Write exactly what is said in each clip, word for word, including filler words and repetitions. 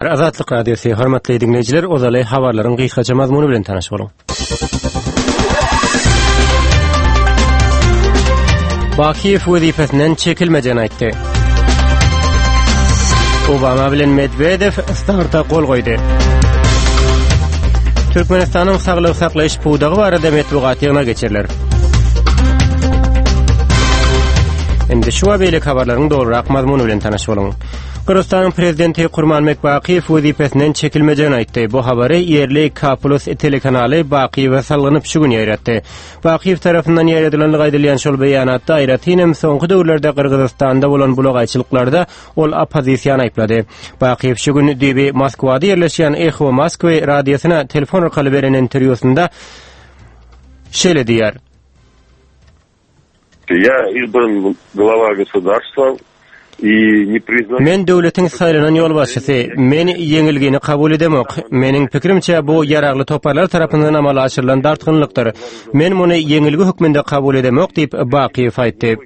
Azatlyk Radiosy, hormatly diňleýjiler, ozaly habarlaryň gysgaça mazmuny bilen tanyş boluň. Bakiýew wezipesinden çekilmejegini aýtdy. Obama bilen Medwedew starta gol goýdy. Türkmenistanyň saglygy saklaýyş pudagy barada metbugat ýygnagy geçiriler. Indi şu we beýleki habarlaryň dolurak mazmuny bilen tanyş boluň. Gyrgyzystanyň prezidenti Kurmanbek Bakyýew wezipesinden çekilmejegini aýtdy. Bu habary ýerli K Plus telekanaly Bakyýewe salgynyp şu gün ýaýratdy. Bakyýew tarapyndan ýaýradylandygy aýdylýan şol beýanatda aýratyn hem soňky döwürlerde Gyrgyzystanda bolan bulagaýçylyklarda ol oppozisiýany aýyplady. Bakyýew şu gün düýbi Moskwada ýerleşýän Eho Moskwy radiosyna telefon arkaly beren interwýusynda şeýle diýýär. Ýa izbran glava gosudarstva Men döwletiň saýlanan ýolbaşçysy. Men ýeňilgini kabul edemok. Meniň pikirimçe, bu ýaragly toparlar tarapyndan amala aşyrylan dartgynlykdyr. Men muny ýeňilgi hökmünde kabul edemok diýip, Bakyýew aýtdy.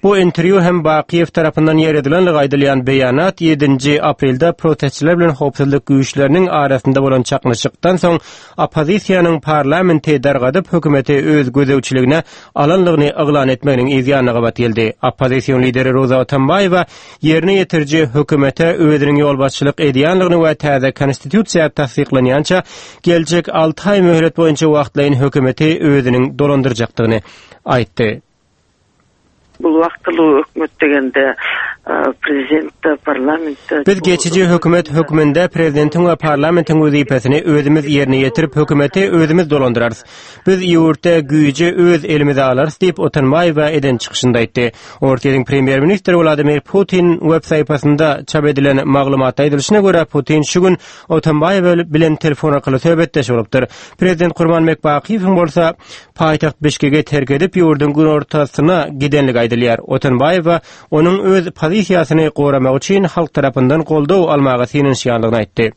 Bu interwýu hem Bakyýew tarapyndan ýaýradylanlygy aýdylýan beýanat ýedinji aprelde protestçiler bilen howpsuzlyk güýçleriniň arasynda bolan çaknyşykdan soň oppozisiýanyň parlamenti dargadyp, hökümeti öz gözegçiligine alanlygyny yglan etmeginiň yz ýanyna gabat geldi. Oppozision lideri Roza Otambaýewa ýerine ýetiriji hökümete özüniň ýolbaşçylyk edýänligini we täze konstitusiýa tassyklanýança geljek alty aý möhlet boýunça wagtlaýyn hökümeti özüniň dolandyrjakdygyny aýtdy. Bul wagtyly hökümet degende prezident-de, parlament-de. Biz geçiji hökümet hökmünde prezidentiň we parlamentiň wezipesini özümiz ýerine ýetirip, hökümeti özümiz dolandyrarys. Biz ýurtda güýji öz elimize alarys diýip, Otanbaýewa eden çykyşynda aýtdy. Orsýetiň premýer-ministri Wladimir Putin web sahypasynda çap edilen maglumatda aýdylyşyna görä, Putin şu gün Otanbaýewa bilen telefon arkaly söhbetdeş bolupdyr. Prezident Kurmanbek Bakyýewiň bolsa paýtagt Bişkegi terk edip, ýurduň günortasyna gidenligi aýdylýar. Otunbaýewa onuň öz pozisiýasyny goramak üçin halk tarapyndan goldaw almaga synanyşýandygyny aýtdy.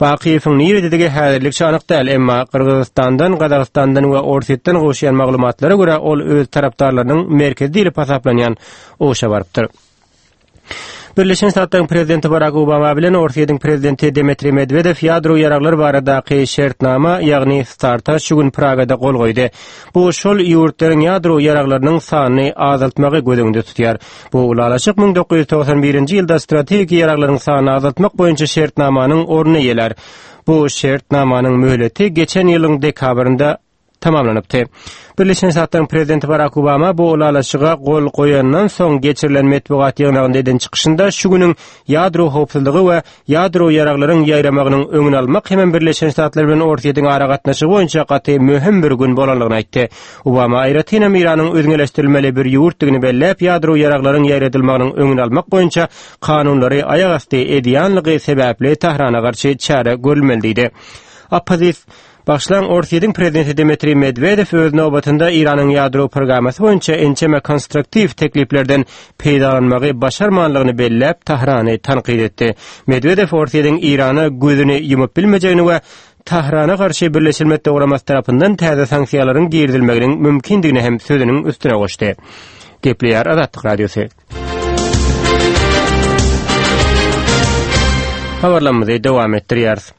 Bakyýewiň nirededigi häzirlikçe anyk däl, emma Gyrgyzystandan, Gazagystandan we Orsýetden gowuşýan maglumatlara görä, ol öz tarapdarlarynyň merkezi diýlip hasaplanýan Oşa barypdyr. Birleşen Ştatlaryň prezidenti Barak Obama bilen Orsýetiň prezidenti Dmitriý Medwedew ýadro ýaraglar baradaky şertnama, ýagny START-a şu gün Pragada gol goýdy. Bu şol ýurtlaryň ýadro ýaraglarynyň sanyny azaltmagy göz öňünde tutýar. Bu ylalaşyk müň dokuz ýüz togsan birinji ýylda strategik ýaraglaryň sanyny azaltmak boýunça şertnamanyň ornuny eýelär. Bu şertnamanyň möhleti geçen ýylyň dekabrynda tamamlanypdy. Birleşen Ştatlaryň prezidenti Barak Obama bu ylalaşyga gol goýandan soň geçirilen metbugat ýygnagynda eden çykyşynda şu günüň ýadro howpsuzlygy we ýadro ýaraglaryň ýaýramagynyň öňüni almak hemem Birleşen Ştatlar bilen Orsýetiň aragatnaşygy boýunça gaty möhüm bir gün bolanlygyny aýtdy. Obama aýratynam Eýranyň özňeleşdirilmeli bir ýurtdygyny belläp, ýadro ýaraglaryň ýaýradylmagynyň öňüni almak boýunça kanunlary aýagasty edýänligi sebäpli Tährana garşy çäre görülmeli diýdi. Oppozis Bagyşlaň, Orsýetiň prezidenti Dmitriý Medwedew öz nobatynda Eýranyň ýadro programmasy boýunça ençeme konstruktiw tekliplerden peýdalanmagy başarmanlygyny belläp, Tahrany tankyt etdi. Medwedew Orsýetiň Eýrana gözüni ýumup bilmejegini we Tahrana garşy Birleşen Milletler Guramasy tarapyndan täze sanksiýalaryň girizilmeginiň mümkindigini hem sözüniň üstüne goşdy. Gepleýär Azatlyk Radiosy. Habarlarymyzy dowam etdirýäris.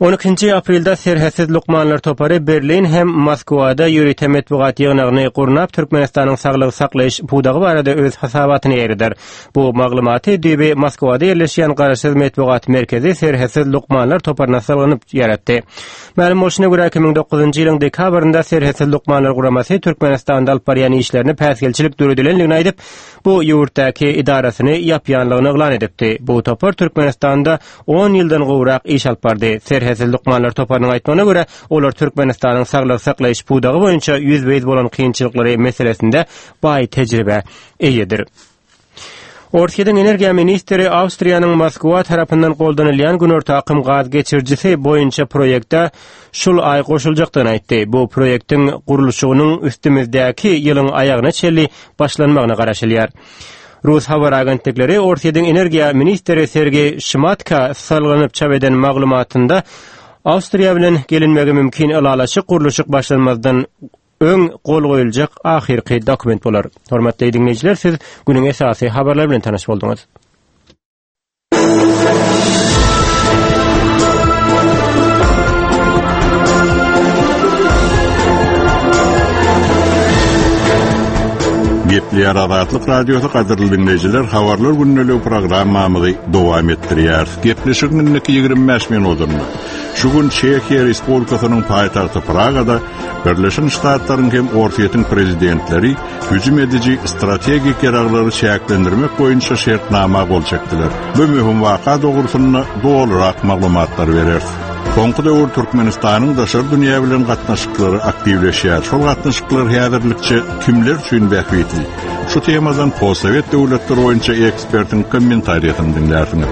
On ikinji aprelde Serhetsiz lukmanlar topary Berlin hem Moskwada ýörite metbugat ýygnagyny gurnap, Türkmenistanyň saglygy saklaýyş pudagy barada öz hasabatyny ýaýradar. Bu maglumaty düýbi Moskwada ýerleşýän garaşsyz metbugat merkezi Serhetsiz lukmanlar toparyna salgynyp ýaratdy. Mälim bolşuna görä, iki müň dokuzynjy ýylyň dekabrynda Serhetsiz lukmanlar guramasy Türkmenistanda alyp barýan işlerine päsgelçilik döredilendigini aýdyp, bu ýurtdaky edarasyny ýapýanlygyny yglan edipdi. Bu topar Türkmenistanda on ýyldan gowrak iş alyp bardy. Serhetsiz lukmanlar toparynyň aýtmagyna görä, olar Türkmenistanyň saglygy saklaýyş pudagy boýunça ýüzbe-ýüz bolan kynçylyklary meselesinde baý tejribä eýedir. Orsýetiň energiýa ministri Awstriýanyň Moskwa tarapyndan goldanylýan Günorta akym gaz geçirijisi boýunça proýekte şul aý goşuljakdygyny aýtdy. Bu proýektiň gurluşygynyň üstümizdäki ýylyň aýagyna çenli başlanmagyna garaşylýar. Rus habar agentlikleri Orsýetiň energiýa ministri Sergeý Şmatka salgylanyp çap eden maglumatynda Awstriýa bilen gelinmegi mümkin ylalaşyk gurluşyk başlanmazdan öň gol goýuljak ahyrky dokument bolar. Hormatly diňleýjiler, siz günüň esasy habarlary bilen tanyş bolduňyz. Gepleýär Azatlyk Radiosy gadyrly diňleýjiler, habarlar gündeligi programmamyzy dowam etdirýär. Gepleşigiň indiki ýigrimi bäş minutynda şu gün Çehiýa Respublikasynyň paýtagty Pragada Birleşen Ştatlaryň hem Orsýetiň prezidentleri hüjüm ediji strategik ýaraglary çäklendirmek boýunça şertnama gol çekdiler. Bu möhüm waka dogrusynda dolurak maglumatlar bereris. Soňky döwür Türkmenistanyň daşary dünýä bilen gatnaşyklary aktiwleşýär. Şol gatnaşyklar häzirlikçe kimler üçin bähbitli? Şu temadan postsowet döwletleri boýunça ekspertiň kommentariýasyny diňlärsiňiz.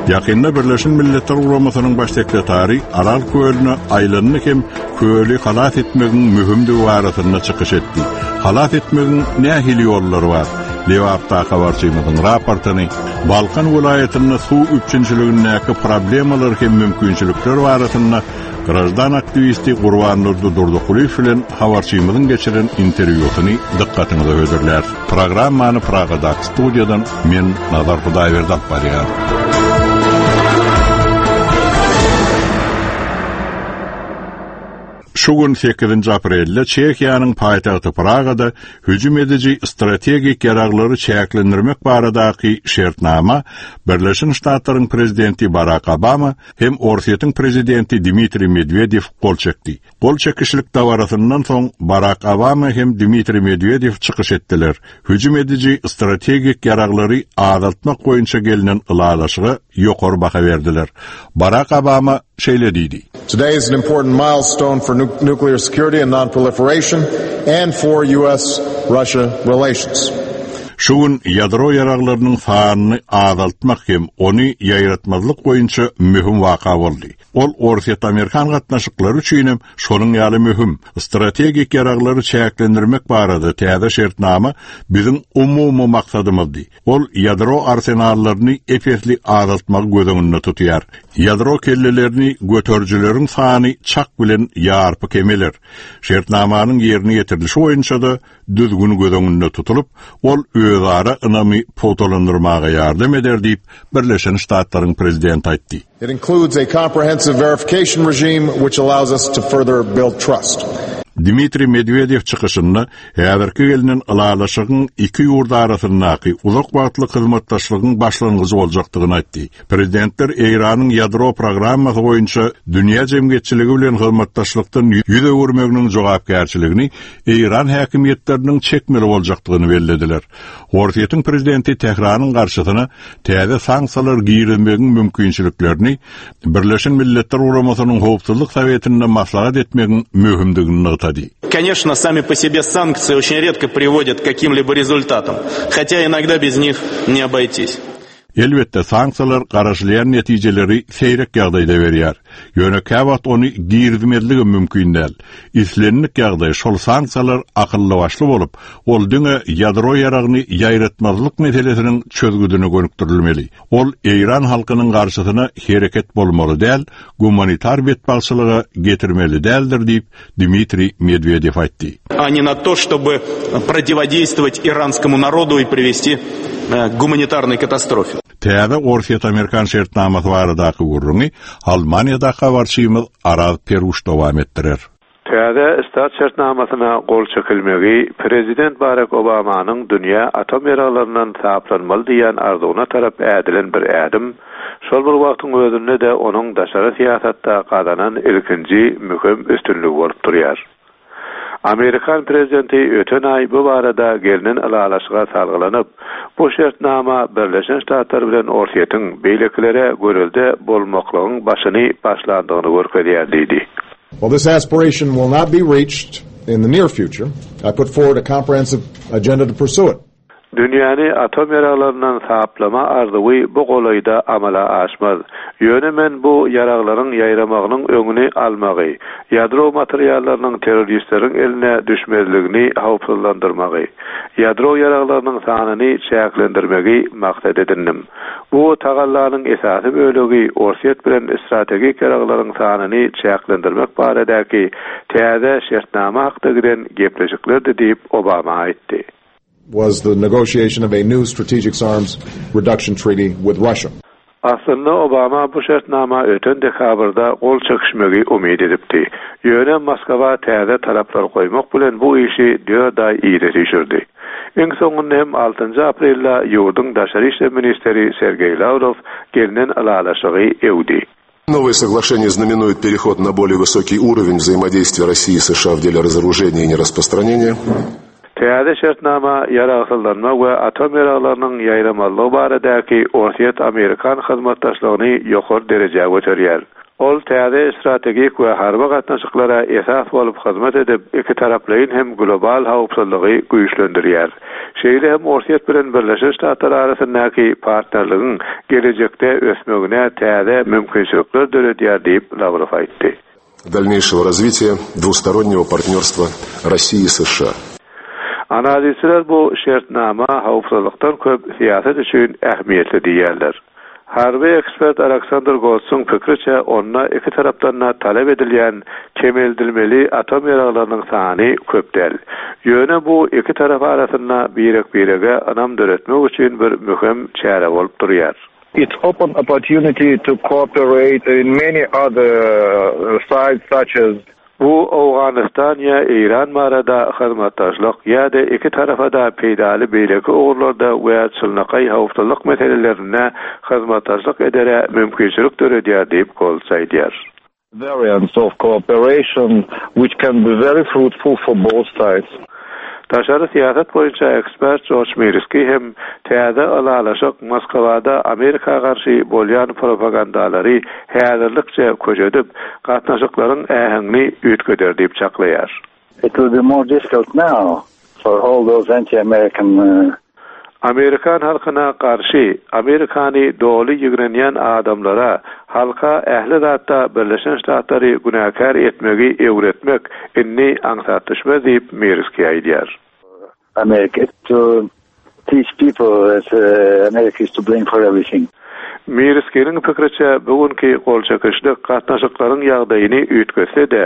Ýakynda Birleşen Milletler Guramasynyň baş sekretary Aral kölüne aýlandy hem köli halas etmegiň möhümdigi barasynda çykyş etdi. Halas etmegiň nähili ýollary bar? Lebapda habarçymyzyň raportyny, Balkan welaýatynda suw üpjünçiligindäki problemalar hem mümkinçilikler barasynda grajdan aktiwisti Gurbandurdy Durdykulyýew bilen habarçymyzyň geçiren interwýusyny dykgatyňyza hödürlär. Programmany Pragadaky studiýadan men Nazar Hudaýberdi alyp barýar. Şu gün sekizinji aprelde Çehiýanyň paýtagty Pragada hüjüm ediji strategik ýaraglary çäklendirmek baradaky şertnama Birleşen Ştatlaryň prezidenti Barack Obama hem Orsýetiň prezidenti Dmitriý Medwedew gol çekdi. Gol çekişlik dabarasyndan soň Barack Obama hem Dmitriý Medwedew çykyş etdiler. Hüjüm ediji strategik ýaraglary azaltmak boýunça gelinen ylalaşyga ýokary baha berdiler. Barack Obama şeýle diýdi. Today is an important milestone for nu-, nuclear security and non-proliferation and for U S Russia relations. Şu gün ýadro ýaraglarynyň sanyny azaltmak hem ony ýaýratmazlyk boýunça möhüm waka boldy. Ol Orsýet-Amerikan gatnaşyklary üçin hem şonuň ýaly möhüm strategik ýaraglary çäklendirmek barada täze şertnama biziň umumy maksadymyzdy. Ol ýadro arsenallaryny epesli azaltmagy göz öňünde tutýar. Ýadro kellelerini göterijileriň sany çak bilen ýarpy kemeler. Şertnamanyň ýerine ýetirilişi boýunça da düzgün göz öňünde tutulyp, ol özara ynamy pugtalandyrmaga ýardam eder diýip Birleşen Ştatlaryň prezidenti aýtdy. It includes a comprehensive verification regime which allows us to further build trust. Dmitriý Medwedew çykyşynda häzirki gelinen ylalaşygyň iki ýurt arasyndaky uzak wagtly hyzmatdaşlygyň başlangyjy boljakdygyny aýtdy. Prezidentler Eýranyň ýadro programmasy boýunça dünýä jemgyýetçiligi bilen hyzmatdaşlykdan ýüz öwürmeginiň jogapkärçiligini Eýran häkimiýetleriniň çekmeli boljakdygyny bellediler. Orsýetiň prezidenti Tähranyň garşysyna täze sanksiýalar girizmegiň mümkinçiliklerini Birleşen Milletler Guramasynyň Howpsuzlyk Sowetinde maslahat etmegiň möhümdigini nygtady. Конечно, сами по себе санкции очень редко приводят к каким-либо результатам, хотя иногда без них не обойтись. Elbetde sanksiýalar garaşylýan netijeleri seýrek ýagdaýda berýär. Ýöne käwagt ony girizmezligi mümkin däl. Islendik ýagdaý şol sanksiýalar akylly başly bolup, ol diňe ýadro ýaragyny ýaýratmazlyk meselesiniň çözgüdine gönükdirilmeli. Ol Eýran halkynyň garşysyna hereket bolmaly däl, gumanitar betbagtçylyga getirmeli däldir diýip Dmitriý Medwedew aýtdy. А не на то, чтобы противодействовать иранскому народу и привести к гуманитарной катастрофе. Täze Orsýet-Amerikan şertnamasy baradaky gürrüňi Almaniýada habarçymyz Araz Peruş dowam etdirer. Täze START şertnamasyna gol çekilmegi Prezident Barack Obamanyň dünýä atom ýaraglaryndan saplanmaly diýen arzuwyna tarap ädilen bir ädim, şol bir wagtyň özünde de onuň daşary syýasatda gazanan ilkinji möhüm üstünligi bolup durýar. Amerikan prezidenti öten aý bu barada gelinen ylalaşyga salgylanyp, bu şertnama Birleşen Ştatlar bilen Orsýetiň beýlekilere görelde bolmaklygyň başyny başlandygyny görkezýär diýdi. While this aspiration will not be reached in the near future, I put forward a comprehensive agenda to pursue it. Dünýäni atom ýaraglaryndan saplama arzuwy bu golaýda amala aşmaz. Ýöne men bu ýaraglaryň ýaýramagynyň öňüni almagy, ýadro materiallarynyň terroristleriň eline düşmezligini howpsuzlandyrmagy, ýadro ýaraglarynyň sanyny çäklendirmegi maksat edindim. Bu tagallanyň esasy bölegi Orsýet bilen strategik ýaraglaryň sanyny çäklendirmek baradaky täze şertnama hakda giden gepleşiklerdi diýip Obama aýtdy. Was the negotiation of a new strategic arms reduction treaty with Russia. Aslynda Obama bu şertnama öten dekabrda gol çekişmegi umyt edipdi. Ýöne Moskwa täze talaplar goýmak bilen bu işi dört aý yza süýşürdi. Iň soňunda hem altynjy aprelde ýurduň daşary işler ministri Sergeý Lawrow gelnen ylalaşygy öwdi. Новое соглашение знаменует переход на более высокий уровень взаимодействия России и США в деле разоружения и нераспространения. Täze şertnama ýaragsyzlanma we atom ýaraglarynyň ýaýramazlygy baradaky Orsýet-Amerikan hyzmatdaşlygyny ýokary derejä göterýär. Ol täze strategik we harby gatnaşyklara esas bolup hyzmat edip, iki taraplaýyn hem global howpsuzlygy güýçlendirýär. Şeýle hem Orsýet bilen Birleşen Ştatlar arasyndaky partnerligiň gelejekde ösmegine täze mümkinçilikler döredýär diýip Lawrow aýtdy. Дальнейшего развития двустороннего партнерства России и США. Analizçiler bu şertnama howpsuzlykdan köp syýasat üçin ähmiýetli diýýärler. Harby ekspert Aleksandr Goltsuň pikriçe onda iki tarapdan da talap edilýän kemeldilmeli atom ýaraglarynyň sany köp däl. Ýöne bu iki tarap arasynda birek-birege ynam döretmek üçin bir möhüm çäre bolup durýar. It's open opportunity to cooperate in many other sides such as Bu Owganystan ýa Eýran barada hyzmatdaşlyk ýa-da iki tarafa da peýdaly beýleki ugurlarda we çynlakaý howpsuzlyk meselelerinde hyzmatdaşlyk edere mümkinçilik döredýär diýip Golts aýdýar. Variants of cooperation which can be very fruitful for both sides. Daşary syýasat boýunça ekspert Jorj Mirski hem täze ylalaşyk Moskwada Amerika garşy bolýan propagandalary häzirlikçe köşedip, gatnaşyklaryň äheňini üýtgeder diýip çaklaýar. It will be more difficult now for all those anti-American uh, Amerikan halkyna garşy Amerikany doly ýigrenýän adamlara halka ähli zatda Birleşen Ştatlary günäkär etmegi öwretmek indi aňsat düşmez diýip Mirski aýdýar. America to teach people that uh, America is to blame for everything. Mirskiniň pikriçe bugünki gol çekişlik gatnaşyklaryň ýagdaýyny üýtgetse-de,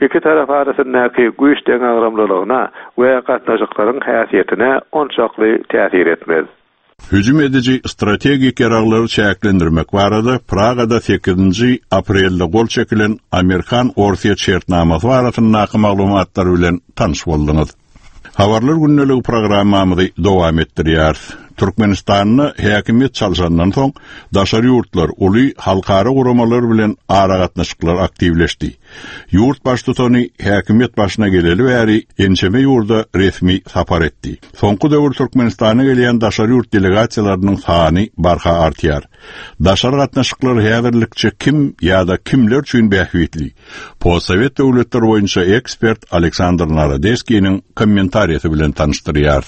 iki tarap arasyndaky güýç deňagramlylygyna we gatnaşyklaryň häsiýetine onçakly täsir etmez. Hüjüm ediji strategik ýaraglary çäklendirmek barada Pragada sekizinji aprelde gol çekilen Amerikan Orsýet şertnamasy barasyndaky maglumatlar bilen tanyş bolduňyz. Habarlar gündeligi programmamyzy dowam etdirýäris. Türkmenistanda häkimiýet çalşandan soň daşary ýurtlar uly halkara guramalar bilen aragatnaşyklar aktiwleşdi. Ýurt baştutany häkimiýet başyna geleli bäri ençeme ýurda resmi sapar etdi. Soňky döwür Türkmenistana gelýän daşary ýurt delegasiýalarynyň sany barha artýar. Daşary gatnaşyklar häzirlikçe kim ýa-da kimler üçin bähbitli? Postsowet döwletler boýunça ekspert Aleksandr Narodeskiniň kommentariýasy bilen tanyşdyrýar.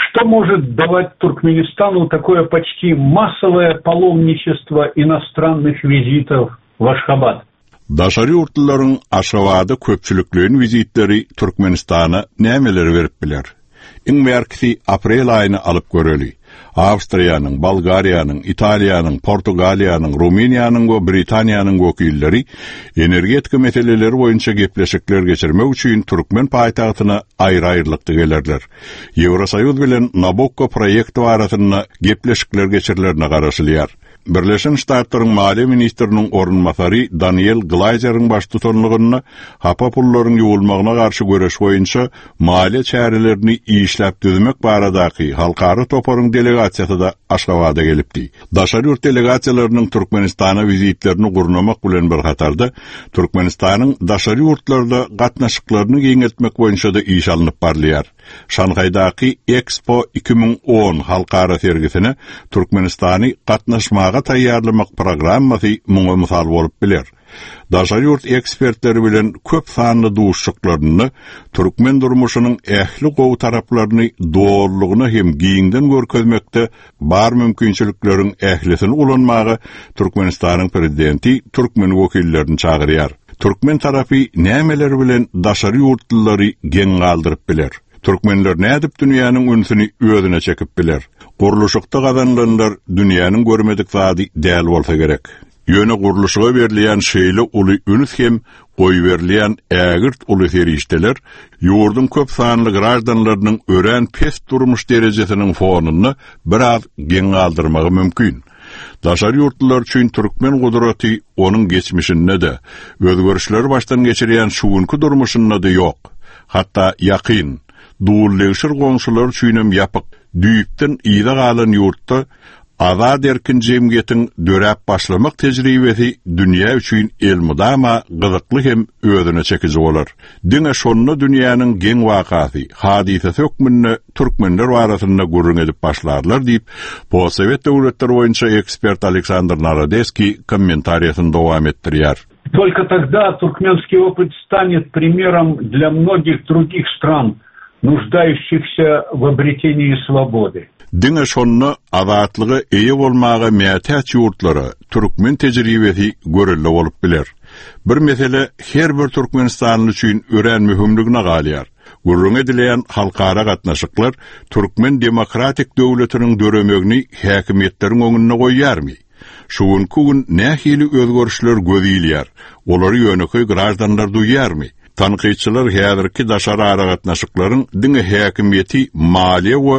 Что может давать Туркменистану такое почти массовое паломничество иностранных визитов в Ашхабад? Daşary ýurtlaryň Aşgabada köpçülikleýin wizitleri Türkmenistana nämeleri berip biler? Iň bärkisi aprel aýyny alyp göreli. Awstriýanyň, Bolgariýanyň, Italiýanyň, Portugaliýanyň, Rumyniýanyň we Britaniýanyň wekilleri energetika meseleleri boýunça gepleşikler geçirmek üçin türkmen paýtagtyna aýry-aýrylykda gelerler. Ýewrosoýuz bilen Nabukko proýekti barasynda gepleşikler geçirilerine garaşylýar. Birleşen Ştatlaryň Maliýe ministriniň orunbasary Daniel Glaýzeriň baştutanlygynda hapa pullaryň ýuwulmagyna garşy göreş boýunça maliýe çärelerini işläp düzmek baradaky halkara toparyň delegasiýasy da Aşgabada gelipdi. Daşary ýurt delegasiýalarynyň Türkmenistana wizitlerini gurnamak bilen bir hatarda Türkmenistanyň daşary ýurtlarda gatnaşyklaryny giňeltmek boýunça da iş alnyp barylýar. Şanhaýdaky Expo iki müň on halkara sergisine Türkmenistany gatnaşmaga taýýarlamak programmasy muňa mysal bolup biler. Daşary ýurt ekspertleri bilen köp sanly duşuşyklarynda türkmen durmuşynyň ähli gowy taraplaryny dogrulygyna hem giňden görkezmekde bar mümkinçilikleriň ählisini ulanmaga Türkmenistanyň prezidenti türkmen wekillerini çagyrýar. Türkmen tarapy nämeler bilen daşary ýurtlulary geň galdyryp biler? Türkmenler nädip dünýäniň ünsüni özüne çekip biler? Gurluşykda gazanylanlar dünýäniň görmedik zady däl bolsa gerek. Ýöne gurluşyga berilýän şeýle uly üns hem goýberilýän ägirt uly serişdeler ýurduň köp sanly graždanlarynyň örän pes durmuş derejesiniň fonunda biraz geň galdyrmagy mümkin. Daşary ýurtlular üçin türkmen gudraty onuň geçmişinde-de, özgerişleri başdan geçirýän şu günki durmuşynda-da ýok. Hatda ýakyn, duwul-degşir goňşular üçinem ýapyk, düýpden yza galan ýurtda azat erkin jemgyýetiň döräp başlamak tejribesi dünýä üçin elmydama gyzykly hem özüne çekiji bolar. Diňe şonda dünýäniň geň wakasy, hadysasy hökmünde türkmenler barasynda gürrüň edip başlarlar diýip, postsowet döwletleri boýunça ekspert Aleksandr Narodeskiý kommentariýasyny dowam etdirýär. Только тогда туркменский опыт станет примером для многих других стран, нуждающихся в обретении свободы. Diňe şonda azatlyga eýe bolmaga mätäç ýurtlara türkmen tejribesi görelde bolup biler. Bir mesele her bir Türkmenistanly üçin örän möhümligine galýar. Gürrüň edilen halkara gatnaşyklar türkmen demokratik döwletiniň döremegini häkimiýetleriň öňünde goýýarmy? Şu günki gün nähili özgerişler göz ilýär? Olary ýönekeý graždanlar duýýarmy? Tankytçylar häzirki daşary aragatnaşyklaryň diňe häkimiýeti maliýe we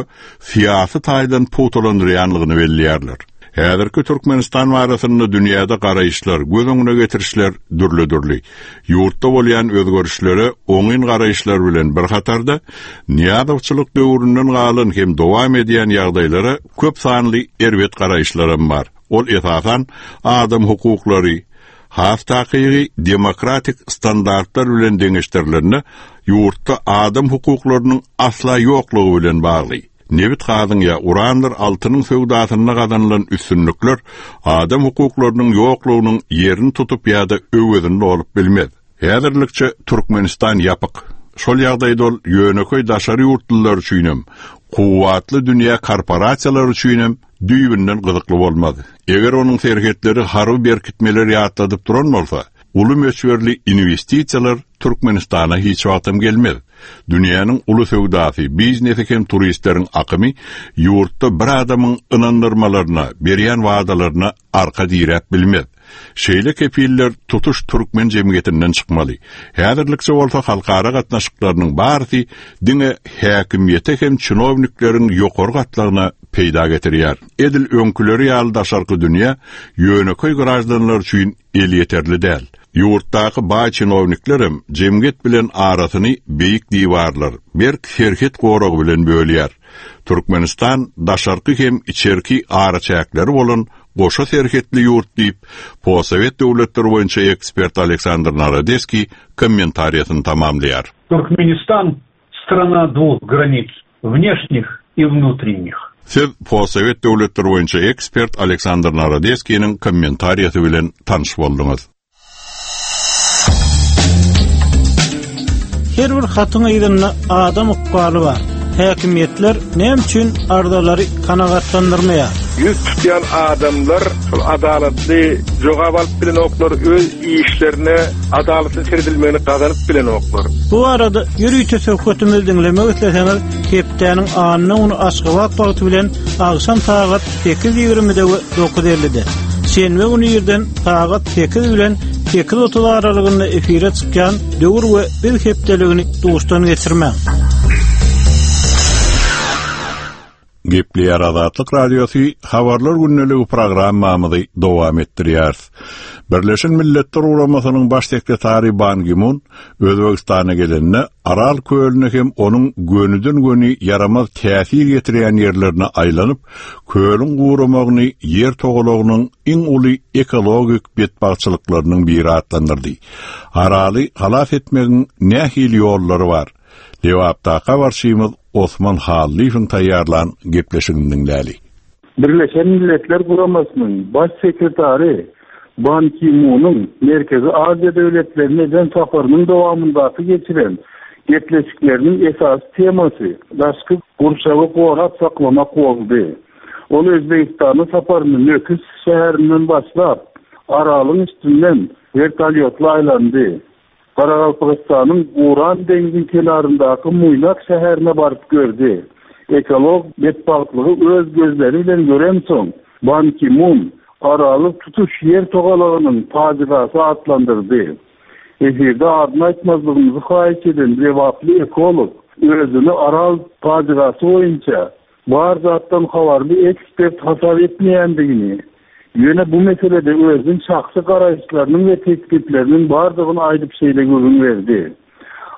syýasy taýdan pugtalandyrýanlygyny belleýärler. Häzirki Türkmenistan barasynda dünýäde garaýyşlar, göz öňüne getirişler dürli-dürli. Ýurtda bolýan özgerişlere oňyn garaýyşlar bilen bir hatarda Nyýazowçylyk döwründen galan hem dowam edýän ýagdaýlara köp sanly erbet garaýyşlaram bar. Ol esasan adam hukuklary, has takygy demokratik standartlar bilen deňeşdirileninde ýurtda adam hukuklarynyň asla ýoklugy bilen bagly. Nebit gazyň ýa urandyr altynyň söwdasynda gazanylan üstünlikler adam hukuklarynyň ýoklugynyň ýerini tutup ýa-da öwezini dolup bilmez. Häzirlikçe Türkmenistan ýapyk. Şol ýagdaýda ol ýönekeý daşary ýurtlular üçinem, kuwwatly dünýä korporasiýalary üçinem düýbünden gyzykly bolmaz. Eger onuň serhetleri harby berkitmeler ýatladyp duran bolsa, uly möçberli inwestisiýalar Türkmenistana hiç wagtam gelmez. Dünýäniň uly söwdasy, biznesi hem turistleriň akymy ýurtda bir adamyň ynandyrmalaryna, berýän wadalaryna arka diräp bilmez. Şeýle kepiller tutuş türkmen jemgyýetinden çykmaly. Häzirlikçe bolsa halkara gatnaşyklarynyň barysy diňe häkimiýete hem çinownikleriň ýokary gatlagyna peýda getirýär. Edil öňküleri ýaly daşarky dünýä ýönekeý graždanlar üçin elýeterli däl. Ýurtdaky baý çinowniklerem jemgyýet bilen arasyny beýik diwarlar, berk serhet goragy bilen bölýär. Türkmenistan daşarky hem içerki araçäkleri bolan goşa serhetli ýurt diýip, postsowet döwletleri boýunça ekspert Aleksandr Narodeskiý kommentariýasyny tamamlaýar. Туркменистан страна двух границ, внешних и внутренних. Siz postsowet döwletleri boýunça ekspert Aleksandr Narodeskiniň kommentariýasy bilen tanyş bolduňyz. Her bir hatyň yzynda adam ykbaly bar. Häkimiýetler näme üçin arzalary kanagatlandyrmaýar? Ýüz tutýan adamlar şol adalatly jogap alyp bilenoklar, öz işlerine adalatly seredilmegini gazanyp bilenoklar. Bu arada ýörite söhbetimizi diňlemek isleseňiz, hepdäniň anna güni Aşgabat wagty bilen agşam sagat sekiz ýigrimide we dokuz ellide. Şenbe güni irden sagat sekiz bilen sekiz otuz aralygynda efire çykýan Döwür we Biz hepdeligini duşdan geçirmäň. Gepleýär Azatlyk Radiosy habarlar gündeligi programmamyzy dowam etdirýär. Birleşen Milletler Guramasynyň baş sekretary Ban Ki-mun Özbegistana gelende Aral kölüne hem onuň gönüden-göni ýaramaz täsir getirýän ýerlerine aýlanyp, kölüň guramagyny ýer togalagynyň iň uly ekologik betbagtçylyklarynyň biri atlandyrdy. Araly halas etmegiň nähili ýollary bar? Lebapdaky habarçymyz Osman Hallyýewiň taýýarlan gepleşigini diňläli. Birleşen Milletler Guramasynyň baş sekretary Ban Ki-munyň Merkezi Aziýa döwletlerine eden saparynyň dowamyndaky geçiren gepleşikleriniň esasy temasy daşky gurşawy gorap saklamak boldy. Ol Özbegistana saparyny Nöküs şäherinden başlap, Aralyň üstünden vertolyotla aýlandy. Garagalpagystanyň Uran deňziň kenaryndaky Muýnak şäherine baryp gördi. Ekolog betbagtlygy öz gözleri bilen görensoň, Ban Ki-mun Araly tutuş ýer togalagynyň pajygasy atlandyrdy. Efirde adyny aýtmazlygymyzy haýyş eden lebaply ekolog özüni Aral pajygasy boýunça bar zatdan habarly ekspert hasap etmeýändigini, Ýöne bu meselede özüniň şahsy garaýyşlarynyň we teklipleriniň bardygyny aýdyp şeýle gürrüň berdi.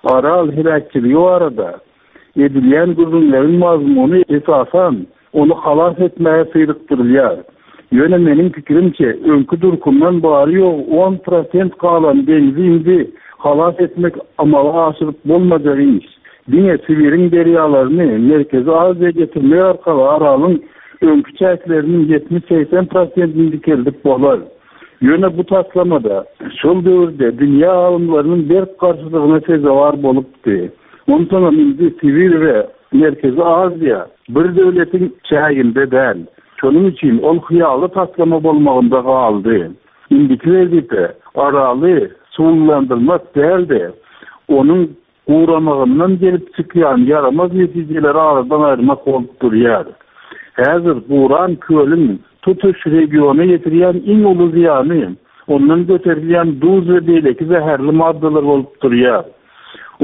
Aral heläkçiligi barada edilýän gürrüňleriň mazmuny esasan ony halas etmäge syrykdyrylýar. Ýöne meniň pikirimçe öňki durkumdan bary-ýogy on prosent galan deňzi indi halas etmek amala aşyryp bolmajak iş. Diňe Sibiriň derýalaryny Merkezi Aziýa getirmek arkaly Aralyň öňki çäkleriniň ýetmiş-segsen prosentini dikeldip bolar. Ýöne bu taslamada şol döwürde dünýä alymlarynyň berk garşylygyna sezewar bolupdy. Onsoňam indi Sibir we Merkezi Aziýa bir döwletiň çäginde däl. Şonuň üçin ol hyýaly taslama bolmagynda galdy. Indiki wezipe Araly suwlandyrmak däldi. Onuň guramagyndan gelip çykýan ýaramaz netijeleri aradan aýyrmak bolup durýar. Häzir guran kölüň tutuş regiona ýetirýän iň uly zyýany ondan göterilýän duz we beýleki zäherli maddalar bolup durýar.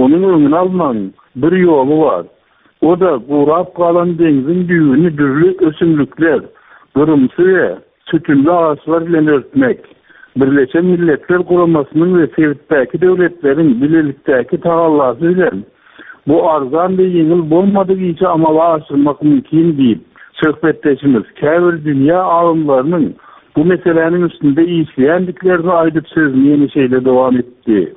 Onuň öňüni almagyň bir ýoly bar. O da gurap galan deňziň düýbüni dürli ösümlikler, gyrymsy we sütünli agaçlar bilen örtmek. Birleşen Milletler Guramasynyň we sebitdäki döwletleriň bilelikdäki tagallasy bilen bu arzan we ýeňil bolmadyk işi amala aşyrmak mümkin diýip, söhbetdeşimiz käbir dünýä alymlarynyň bu meseläniň üstünde işleýändiklerini aýdyp sözüni ýene şeýle dowam etdi.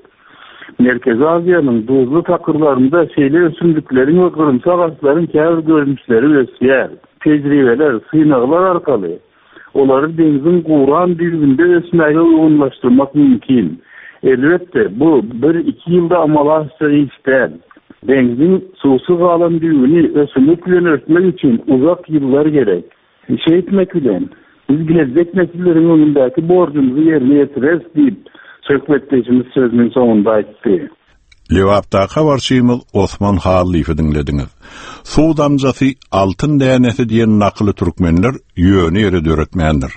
Merkezi Aziýanyň duzly takyrlarynda şeýle ösümlikleriň we gyrymsy agaçlaryň käbir görnüşleri ösýär. Tejribeler, synaglar arkaly olary deňziň guran düýbünde ösmäge uýgunlaşdyrmak mümkin. Elbetde, bu bir-iki ýylda amala aşjak iş däl. Deňziň suwsuz galan düýbüni ösümlik bilen örtmek üçin uzak ýyllar gerek. Şeýtmek bilen biz geljek nesilleriň öňündäki borjumuzy ýerine ýetireris diýip, söhbetdeşimiz sözüniň soňunda aýtdy. Lebapdaky habarçymyz Osman Hallyýewi diňlediňiz. Suw damjasy altyn dänesi diýen nakyly türkmenler ýöne ýere döretmändir.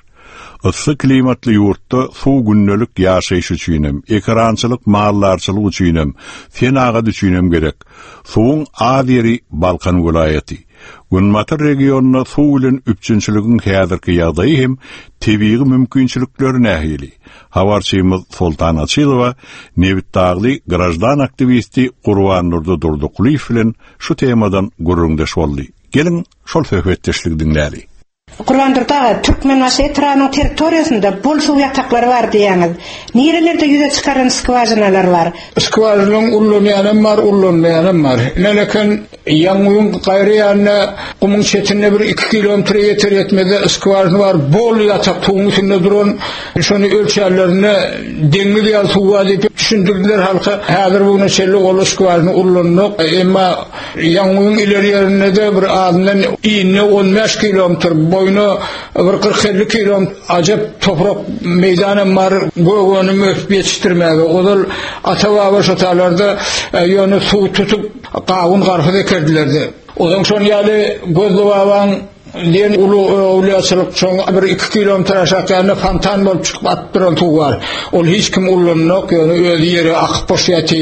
Yssy klimatly ýurtda suw gündelik ýaşaýyş üçinem, ekerançylyk, maldarçylyk üçinem, senagat üçinem gerek. Suwuň az ýeri Balkan welaýaty. Günbatar regionynda suw bilen üpjünçiligiň häzirki ýagdaýy hem tebigy mümkinçilikleri nähili? Habarçymyz Soltan Açylowa Nebitdagly grajdan aktiwisti Gurbandurdy Durdykulyýew bilen şu temadan gürrüňdeş boldy. Geliň şol söhbetdeşligi diňläli. Gurbandurdy aga, Türkmenbaşy etrabynyň territoriýasynda bol suw ýataklary bar diýýäňiz. Nirelerde ýüze çykaran skwažinalar bar? Skwažinaň ullanýanam bar, ullanmaýanam bar. Näleken ýaňyň gaýry ýanyna gumuň çetinde bir iki kilometre ýeter ýetmezde skwažina bar. Bol ýatak suwuň üstünde duran, şony ölçerlerine deňiz ýaly suw bar diýip düşündirdiler halka. Häzir bu güne çenli ol skwažina ullanmak, emma ýaňyň ileri ýerinde de bir azyndan inne on bäş kilometr boýuna bir kyrk elli kilometr ajap toprak meýdanam bar, gögönüm ösüp ýetişdirmäge. Ozal ata-baba şotalarda, e, ýöne suw tutup gawun garpyz ekerdilerdi. Ozaň şon ýaly Gözli babaň diýen uly öwlüýaçylyk şoň bir iki kilometr aşak ýerinde fontan bolup çykyp atyp duran suw bar. Ol hiç kim ullanmak, ýöne özi ýere akyp boş ýaty.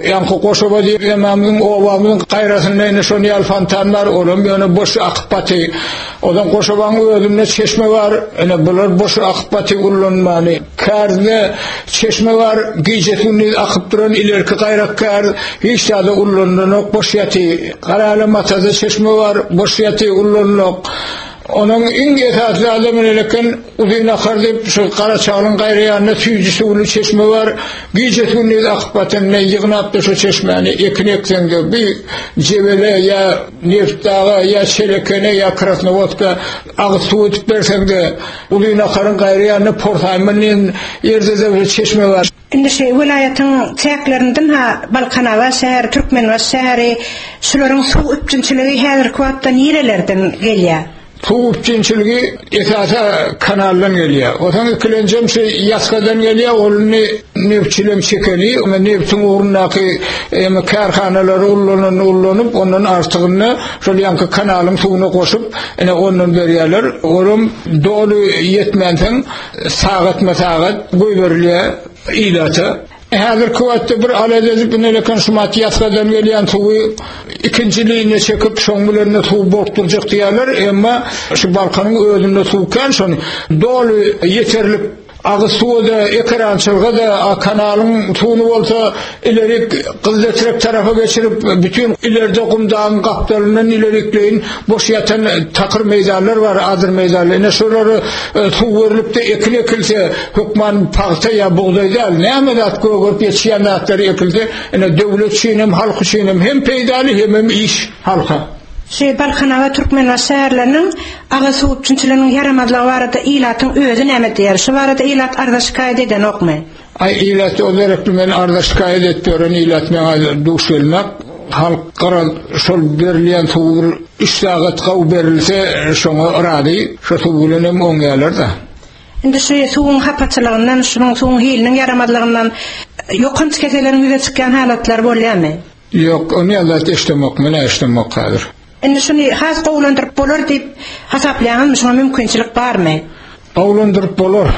Ýaňky Goşoba diýip emamyň obamyň gaýrasynda ýene şon ýaly fontan bar, olam ýöne boş akyp baty. Odan Goşobaň özünde çeşme bar, ene bular boş akyp baty ullanmany. Kärde çeşme bar, gije gündüz akyp duran ilerki gaýrak kär, hiç zada ullananok, boş ýaty. Garaly matada çeşme bar, boş ýaty ullananok. Onuň iň esasy adamy eleken uzyn akar diýip şu Garaçagyň gaýry ýanynda süýji suwly çeşme bar. Gije gündüz akyp batan ne ýygnap da şu çeşmäni ekin ekseňde bir Jebele ýa Neftdaga ýa Çelekene ýa Krasnowodka agyz suw edip berseňde uzyn akaryň gaýry ýanynda Porsaýman diýen ýerde de bir çeşme bar. Indi şu welaýatyň çäklerinden ha Balkanabat şäheri, Türkmenbaşy şäheri, şularyň suw üpjünçiligi häzirki wagtda nirelerden gelýär? Suw üpjünçiligi esasa kanaldan gelýär. Otaň ikilenjem şu ýatgadan gelýär, ony nefçilem çekeli, ony neftiň ugrundaky emi kärhanalary ullanany ullanyp, ondan artygyny şol ýanky kanalyň suwuna goşup, ene ondan berýärler. Olam doly ýetmänsoň sagatma sagat goýberilýär ilata. Häzirki wagtda bir alada edip ineleken şumat ýasgadan gelýän suwy ikinji liniýa çekip şoň bilen suw bokdurjak diýerler, emma şu Balkanyň özünde suw kän şony doly ýeterlik agyz suwy-da, ekerançylygy-da, kanalyň suwuny bolsa ilerik Gyzletrek tarapa geçirip, bütün ileride Gumdağın gapdalyndan ilerikleýin boş ýatan takyr meýdanlar bar, adyr meýdanlar. Ine şolary suw berlip de ekin ekilse, hökman pagta ýa bugdaý däl, näme zat gögerip ýetişýän zatlary ekilse, ine döwlet üçin hem, halk üçin hem hem peýdaly hem hem iş halka. Şu Balkanabat Türkmenbaşy şäherleriniň agyz suw üpjünçiliginiň ýaramazlygy barada ilatyň özi näme diýer? Şu barada ilat arza şikaýat edenokmy? Ay ilat o gerekli men arza şikaýat etip ýören ilat meňe duş gelmek. Halk garal şol berilýän suw bir üç sagat gaw berilse şoňa razy, şo suw bilen hem oňýarlar da. Indi şu suwuň hapaçylygyndan, şunuň suwuň hiliniň ýaramazlygyndan ýokanç keselleriň ýüze çykýan halatlar bolýarmy? Ýok, ony ýa-da eşdemek, men eşdemek häzir. Indi şuny has gowulandyryp bolar diýip hasaplaýaňyzmy? Şuňa mümkinçilik barmy? Gowulandyryp bolar.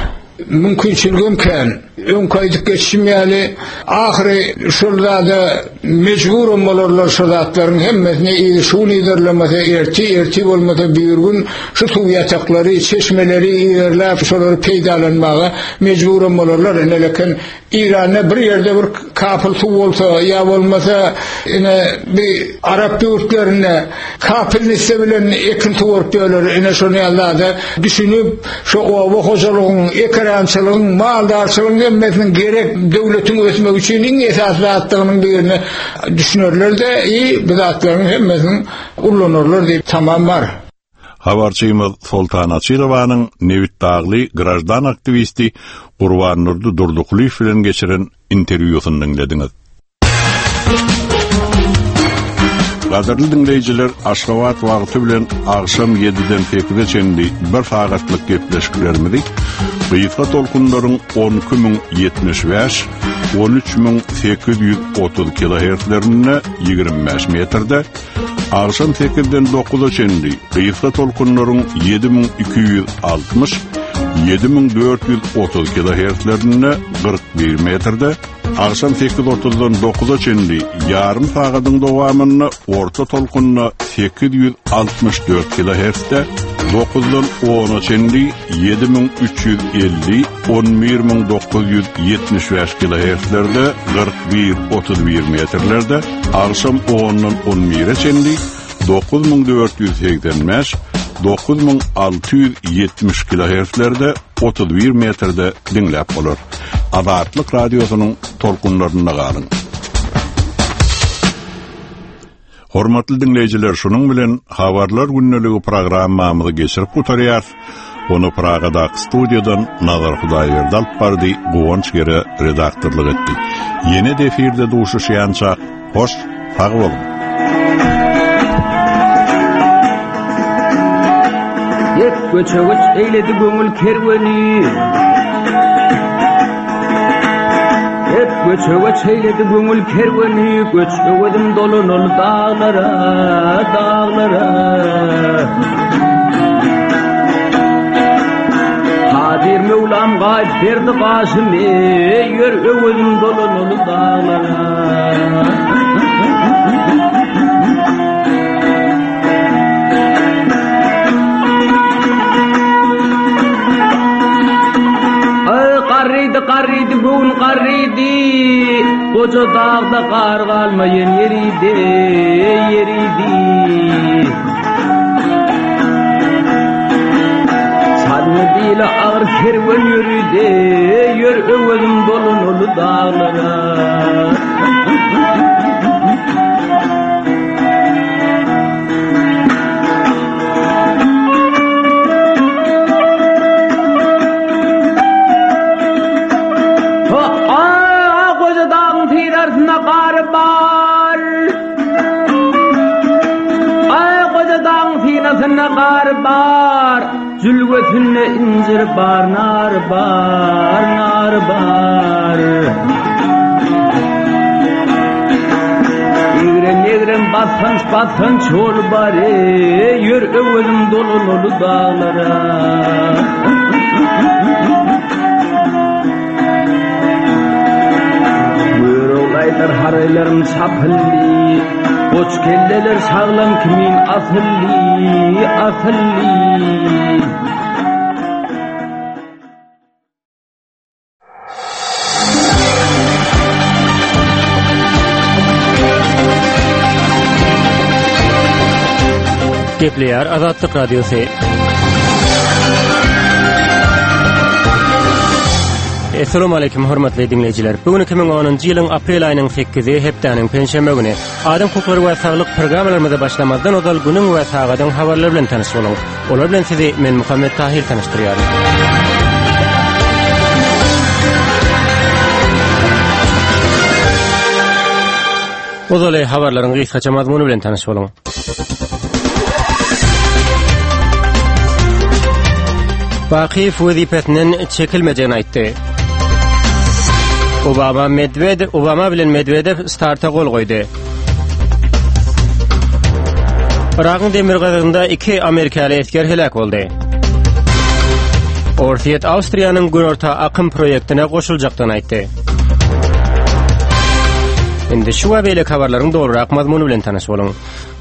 Mümkinçiligim kän. Öňki aýdyp geçişim ýaly, ahyry şol zada mejburum bolarlar şu zatlaryň hemmesini ýa şuny ýerlemese erti, erti bolmasa bir gün şu suw ýataklary, çeşmeleri ýerläp şolary peýdalanmaga mejburum bolarlar. Ine leken İran'da bir yerde bir kapıl suw bolsa ýa bolmasa ine bir Arap ýurtlarynda kapıl nisse bilen ekin suwaryp ýörler. Ine şony ýa-da düşünip şu oba hojalygyň, ekerançylygyň, maldarçylygyň hemmesiniň gerek döwletiň ösmegi üçin iň esasy zatdygynyň birine düşünerler de i bu zatlaryň hemmesini ullanarlar diýip tamam bar. Habarçymyz Soltan Açylowanyň Nebitdagly grajdan aktiwisti Gurbannurdy Durdykulyýew bilen geçiren interwýusyny diňlediňiz. Gadyrly diňleýjiler, Aşgabat wagty bilen agşam ýediden sekize çenli bir sagatlyk gepleşiklerimizi gysga tolkunlaryň on iki müň ýetmiş bäş, on üç müň sekiz ýüz otuz kilohertzlerinde ýigrimi bäş metrde, agşam sekizden dokuza çenli gysga tolkunlaryň ýedi müň iki ýüz altmyş, ýedi müň dört ýüz otuz kilohertzlerinde kyrk bir metrde, agşam sekiz otuzdan dokuza çenli ýarym sagadyň dowamynda orta tolkunda sekiz ýüz altmyş dört kilohertzde, dokuzdan ona çenli ýedi müň üç ýüz elli, on bir müň dokuz ýüz ýetmiş bäş kilohertzlerde kyrk bir otuz bir metrlerde, agşam ondan on bire çenli dokuz müň dört ýüz segsen bäş, dokuz müň alty ýüz ýetmiş kilohertzlerde otuz bir metrde diňläp bolar. Azatlyk radiosynyň tolkunlarynda galyň. Hormatly diňleýjiler, şunuň bilen Habarlar gündeligi programmamyzy geçirip gutarýarys. Onu Pragadaky studiýadan Nazar Hudaýberdi alyp bardy, Guwanç Gere redaktorlyk etdi. Ýene de efirde duşuşýança hoş, sag boluň. Hep göçe göç eýledi göňül kerweni. Hep göçe göç eýledi göňül kerweni. Göç öwezim dolanol dağlara, dağlara. Kadir Mevlam gaýyp berdi gaşymy, ýör öwezim dolanol dağlara. Garrydy, garrydy, göwün garrydy. Goja dağda gar galmaýan ýeridi, ýeridi. Çalmy dili agyr kerwen ýörüdi, ýör öwezim dolanol dağlara. Bar, jülgesinde incir bar, nar bar, nar bar. Egrem, egrem, basganç, basganç ol bar, ýör öwezim dolanol dağlara. Ýaraglar haraýlarym çapyldy. Goç kelleler şaglam kimin asyldy, asyldy. Gepleýär Azatlyk Radiosy. Essalamu aleýkum hormatly diňleýjiler. Bu gün iki müň onunjy ýylyň aprel aýynyň sekizi, hepdäniň penşenbe güni. Adam hukuklary we saglyk programmalarymyza başlamazdan ozal günüň we sagadyň habarlary bilen tanyş boluň. Olar bilen sizi men Muhammet Tahir tanyşdyrýaryn. Ozaly habarlaryň gysgaça mazmuny bilen tanyş boluň. Bakyýew wezipesinden çekilmejegini aýtdy. Obama Medvedew, Obama bilen Medwedew starta gol goýdy. Yragyň demirgazygynda iki amerikaly esger heläk boldy. Orsýet Awstriýanyň Günorta akym proýektine goşuljakdygyny aýtdy. Indi şu we beýleki habarlaryň dolurak mazmuny bilen tanyş boluň.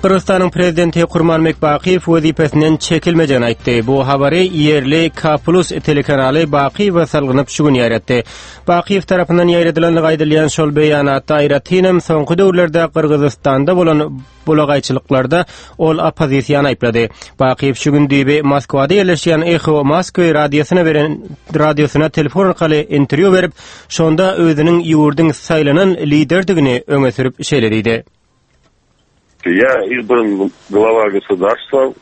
Gyrgyzystanyň prezidenti Kurmanbek Bakyýew wezipesinden çekilmejegini aýtdy. Bu habary ýerli K Plus telekanaly Bakyýewe salgynyp şu gün ýaýratdy. Bakyýew tarapyndan ýaýradylandygy aýdylýan şol beýanatda aýratynam soňky döwürlerde Gyrgyzystanda bolan bulagaýçylyklarda ol oppozisiýany aýyplady. Bakyýew şu gün düýbi Moskwada ýerleşýän Eho Moskwy radiosyna beren radiosyna telefon arkaly interwýu berip, şonda özüniň ýurduň saýlanan liderdigini öňe sürüp şeýle diýdi. Я избран глава государства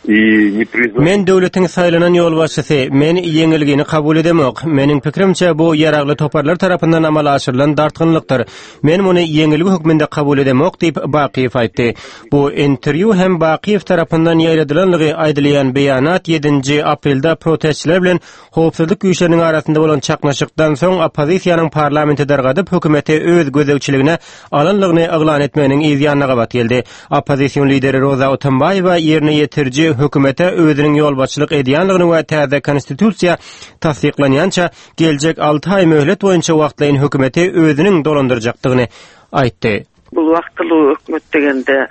и не признан. Men döwletiň saýlanan ýolbaşçysy, men ýeňilgini kabul edemok. Meniň pikirimçe bu ýaragly toparlar tarapyndan amala aşyrylan dartgynlykdyr. Men muny ýeňilgi hökmünde kabul edemok diýip Bakyýew aýtdy. Bu interwýu hem Bakyýew tarapyndan ýaýradylanlygy aýdylýan beýanat ýedinji aprelde protestçiler bilen howpsuzlyk güýçleriniň arasynda bolan çaknyşykdan soň oppozisiýanyň parlamenti dargadyp hökümeti öz gözegçiligine alanlygyny yglan etmeginiň yz ýanyna gabat geldi. Oppozision lideri Roza Otunbaýewa ýerine ýetiriji hökümete özüniň ýolbaşçylyk edýänligini we täze konstitusiýa tassyklanýança geljek alty aý möhlet boýunça wagtlaýyn hökümeti özüniň dolandyrjakdygyny aýtdy. Bul wagtly hökümet degende,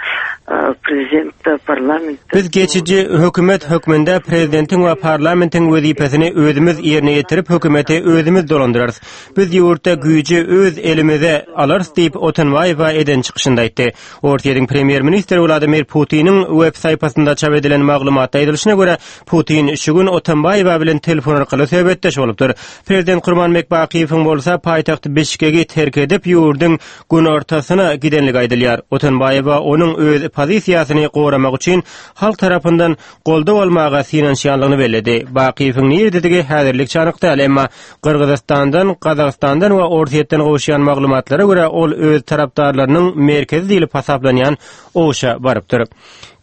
prezident parlament. Biz geçici hökümet hökmünde prezidentiň we parlamentiň wezipesini özümiz ýerine ýetirip hökümeti özümiz dolandyrarys. Biz ýurtda güýji öz elimize alarys diýip Otunbaýewa eden çykyşynda aýtdy. Orsýetiň premýer-ministri Wladimir Putiniň web saýpasynda çap edilen maglumatda aýdylyşyna görä, Putin şu gün Otunbaýewa bilen telefon arkaly söhbetdeş bolupdyr. Prezident Kurmanbek Bakyýewiň bolsa paýtagt Bişkegi terk edip ýurduň günortasyna gidenligi aýdylýar. Otunbaýewa onuň öz pozisiýasyny goramak üçin halk tarapyndan goldaw almaga synanyşýanlygyny belledi. Bakyýewiň nirededigi häzirlikçe anyk däl, emma Gyrgyzystandan, Gazagystandan we Orsýetden gowuşýan maglumatlara görä ol öz tarapdarlarynyň merkezi diýlip hasaplanýan Oşa barypdyr.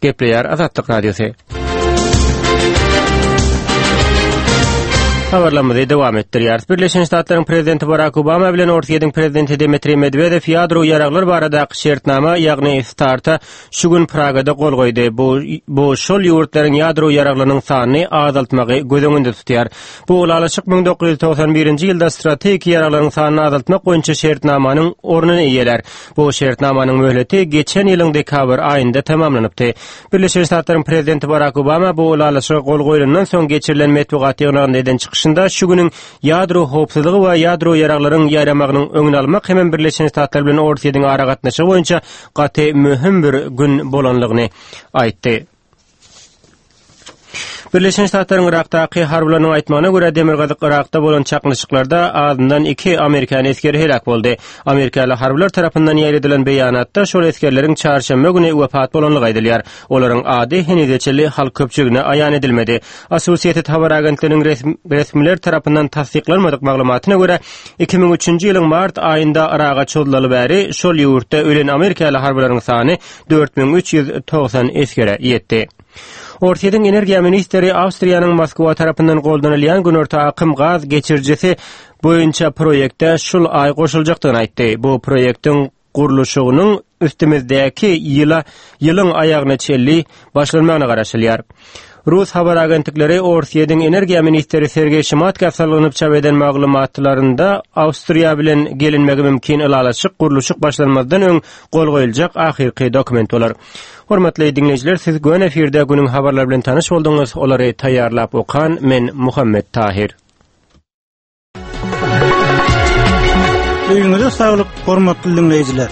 Gepleýär Azatlyk Radiosy. Habarlarymyzy dowam etdirýäris. Birleşen Ştatlaryň prezidenti Barack Obama bilen Orsýetiň prezidenti Dmitriý Medwedew ýadro ýaraglar baradaky şertnama, ýagny starta şu gün Pragada gol goýdy. Bu, bu şol ýurtlaryň ýadro ýaraglarynyň sanyny azaltmagy göz öňünde tutýar. Bu ylalaşyk müň dokuz ýüz togsan birinji ýylda strategik ýaraglaryň sanyny azaltmak boýunça şertnamanyň ornuny eýelär. Bu şertnamanyň möhleti geçen ýylyň dekabr aýynda tamamlanypdy. Birleşen Ştatlaryň prezidenti Barack Obama bu ylalaşyga gol goýlandan soň geçirilen metbugat ýygnagynda eden çykyşynda şu günüň ýadro howpsuzlygy we ýadro ýaraglaryň ýaýramagynyň öňüni almak hem Birleşen Ştatlar bilen Orsýetiň aragatnaşygy boýunça gaty möhüm bir gün bolanlygyny aýtdy. Birleşen Ştatlaryň Irakdaky harbylarynyň aýtmagyna görä Demirgazyk Irakda bolan çaknyşyklarda azyndan iki Amerikan esgeri heläk boldy. Amerikaly harbylar tarapyndan ýaýradylan beýanatda şol esgerleriň çarşenbe güni wepat bolanlygy aýdylýar. Olaryň ady henize çenli halk köpçüligine aýan edilmedi. Associated Habar agentliginiň resmi, resmiler tarapyndan tassyklanmadyk maglumatyna görä iki müň üçünji ýylyň mart aýynda Iraga çozulaly bäri şol ýurtda ölen Amerikaly harbylaryň sany dört müň üç ýüz togsan esgere ýetdi. Orsýetiň energiýa ministri Awstriýanyň Moskwa tarapyndan goldanylýan Günorta akym gaz geçirijisi boýunça proýekte şul aý goşuljakdygyny aýtdy. Bu proýektiň gurluşygynyň üstümizdäki ýyla, ýylyň aýagyna çenli başlanmagyna garaşylýar. Rus habar agentlikleri Orsýetiň energiýa ministri Sergeý Şimatka salgynyp çap eden maglumatlarynda Awstriýa bilen gelinmegi mümkin ylalaşyk gurluşyk başlanmazdan öň gol goýuljak ahyrky dokument bolar. Hormatly dinleýjiler, siz gön efirde günüň habarlary bilen tanyş bolduňyz. Olary taýýarlap okan men Muhammet Tahir. Öýüňize saglyk, hormatly dinleýjiler.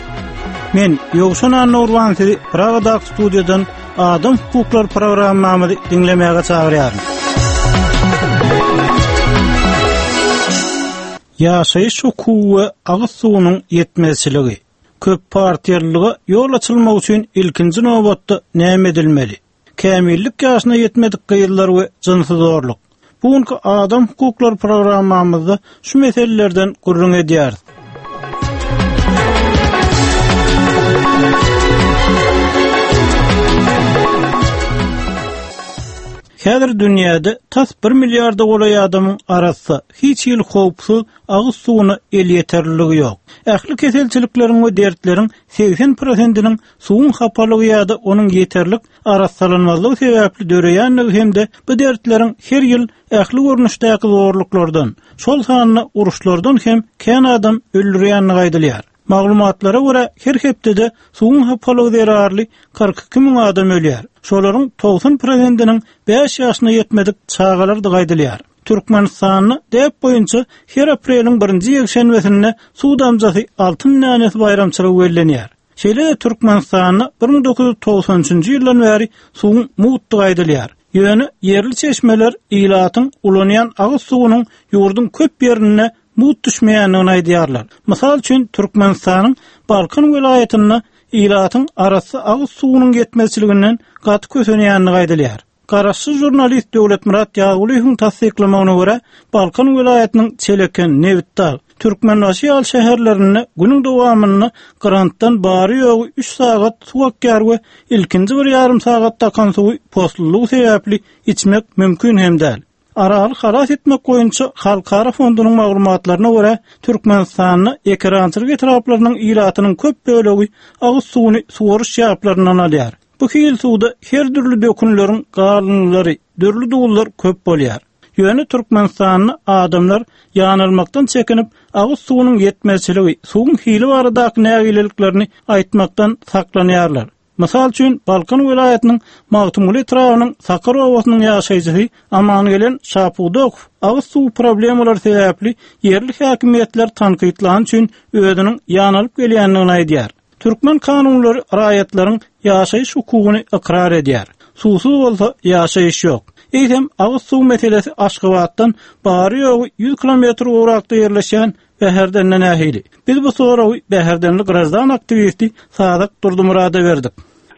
Men Ýowşan Annurban sizi Pragadaky studiýadan Adam hukuklary programmamyzy diňlemäge çagyrýaryn. Ýaşaýyş hukugy we agyz suwunyň ýetmezçiligi. Köp partiýalylyga ýol açylmak üçin ilkinji nobatda näme edilmeli? Kämillik ýaşyna ýetmedik gyzlar we jynsy zorluk. Bugünkü Adam hukuklary programmamyzda şu meselelerden gürrüň edýäris. Häzir dünýäde tas bir milliarda golaý adamyň arasy hiç hil howpsuz agyz suwuna elýeterliligi ýok. Ähli keselçilikleriň we dertleriň seksen prosentiniň suwuň hapalygy ýa-da onuň ýeterlik arassalanmazlygy sebäpli döreýänligi hem-de bu dertleriň her ýyl ähli görnüşdäki zorluklardan, şol sanda uruşlardan hem kän adam öldürýänligi aýdylýar. Maglumatlara görä her hepdede suwuň hapalygy zerarly kyrk iki müň adam ölýär. Şolaryň togsan prosentiniň bäş ýaşyna ýetmedik çagalardygy aýdylýar. Türkmenistanda däp boýunça her apreliň birinji ýekşenbesinde suw damjasy altyn dänesi baýramçylygy bellenýär. Şeýle-de Türkmenistanda bir müň dokuz ýüz togsan üçünji ýyldan bäri suwuň mugtdygy aýdylýar. Ýöne ýerli çeşmeler ilatyň ulanýan agyz suwunyň ýurduň köp ýerinde mugt düşmeýändigini aýdýarlar. Mysal üçin Türkmenistanyň Balkan welaýatynda ilatyň arasy agyz suwunyň ýetmezçiliginden gaty kösenýändigi aýdylýar. Garaşsyz jurnalist Döwletmyrat Ýazgulyýewiň tassyklamagyna görä, Balkan welaýatynyň Çeleken, Nebitdag, Türkmenbaşy ýaly şäherlerinde günüň dowamynda grantdan bary ýogy üç sagat suw akýar we ilkinji bir ýarym sagatda akan suwy poslulygy sebäpli içmek mümkin hem däl. Araly halas etmek boýunça Halkara fondunyň maglumatlaryna görä, Türkmenistanda ekerançylyk etraplarynyň ilatynyň köp bölegi agyz suwuny suwaryş ýaplaryndan alýar. Bu hil suwda her dürli dökünleriň galyndylary, dürli duzlar köp bolýar. Ýöne Türkmenistanda adamlar ýanalmakdan çekinip, agyz suwunyň ýetmezçiligi, suwuň hili baradaky nägileliklerini aýtmakdan saklanýarlar. Mysal üçin Balkan welaýatynyň Magtymguly etrabynyň Sakar obasynyň ýaşaýjysy Amangelen Şapudow agyz suw problemalary sebäpli ýerli häkimiýetler tankytlan üçin özüniň ýanalyp gelýändigini aýdýar. Türkmen kanunlary raýatlaryň ýaşaýyş hukugyny ykrar edýär. Suwsuz bolsa ýaşaýyş ýok. Eýsem agyz suw meselesi Aşgabatdan bary ýogy ýüz kilometr urakda ýerleşýän Bäherdenden nähili? Biz bu soragy Bäherdenli grajdan aktiwisti Sadyk Durdumurada berdik.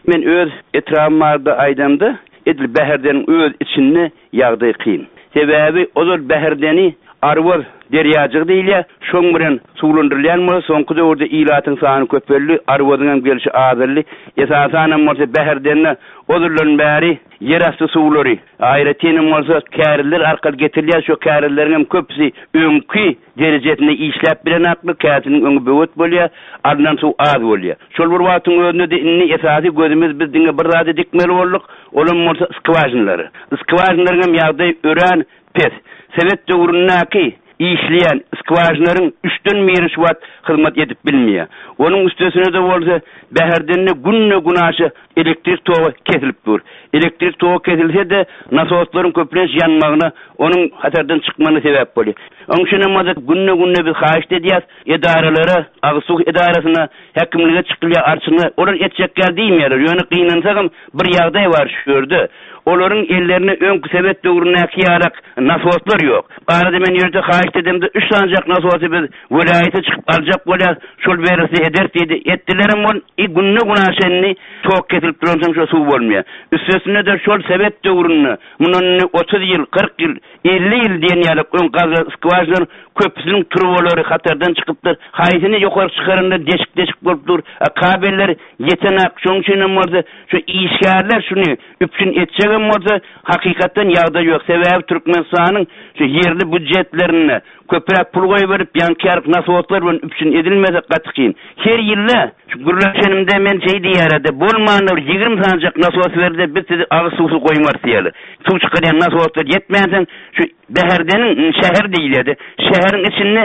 Men öz etrabym barada aýdamda, edil Bäherdeniň öz içinde ýagdaý kyn. Sebäbi ozal Bäherdeni Arwaz derýajygy diýilýär, şoň bilen suwlandyrylýan bolsa, soňky döwürde ilatyň sany köpeldi, Arwazyň hem gelşi azaldy. Esasanam bolsa Bäherdende ozaldan bäri ýerasty suwlary, aýratynam bolsa käriler arkaly getirilýär, şo kärileriň hem köpüsi öňki derejesinde işläp bilen akly, käsiniň öňi böwet bolýar, alnan suw az bolýar. Şol bir wagtyň özünde de indi esasy gözümiz biz diňe bir zady dikmeli bolduk, olam bolsa skwažinlary. Skwažinlaryň hem ýagdaýy örän pes. Sovet döwründäki işleýän skwažinlaryň üçden biri şu wagt hyzmat edip bilmeýär. Onuň üstesine de bolsa Bäherdende günde günaşa elektrik togy kesilip dur. Elektrik togy kesilse de nasoslaryň köplenç ýanmagyna, onuň hatardan çykmagyna sebäp bolýar. Onuň üçin hem bolsa günde-günde biz haýyş edýäs edaralara, agyz suw edarasyna, häkimlige çykylýar, arçyna, olar etjek ýer diýmeýärler. Ýöne gynansagam bir ýagdaý bar şu ýerde. Olaryň ellerine öňki Sovet döwründäki ýarak nasoslar ýok. Arada men ýerde haýyş edemde üç sanjak nasosy biz welaýata çykyp aljak bolýar, şol berilse eder diýdi. Etdilerem ol günde günaşa indi tok kesilip duransoň şo suw bolmaýar. Üstesine de şol Sovet döwründe mundan indi otuz ýyl, kyrk ýyl, elli ýyl diýen ýaly öň gazly skwažinler köpüsiniň turbalary hatardan çykypdyr. Haýsyny ýokary çykaranda deşik-deşik bolup dur. Kabeller ýetenak. Şonuň üçin hem bolsa şu işgärler şuny üpjün etjek Hem bolsa hakykatdan ýagdaý ýok. Sebäbi Türkmenistanyň şu ýerli býujetlerine köpräk pul goýberip, ýaňky nasoslar bilen üpjün edilmese gaty kyn. Her ýylda şu gürleşenimde men şey diýärdi, bolmanda bir ýigrimi sanjak nasos berdi, biz sizi agyz suwsuz goýmarys diýerler. Suw çykarýan nasoslar ýetmänsoň şu Bäherdeniň şäher diýilýärdi. Şäheriň içinde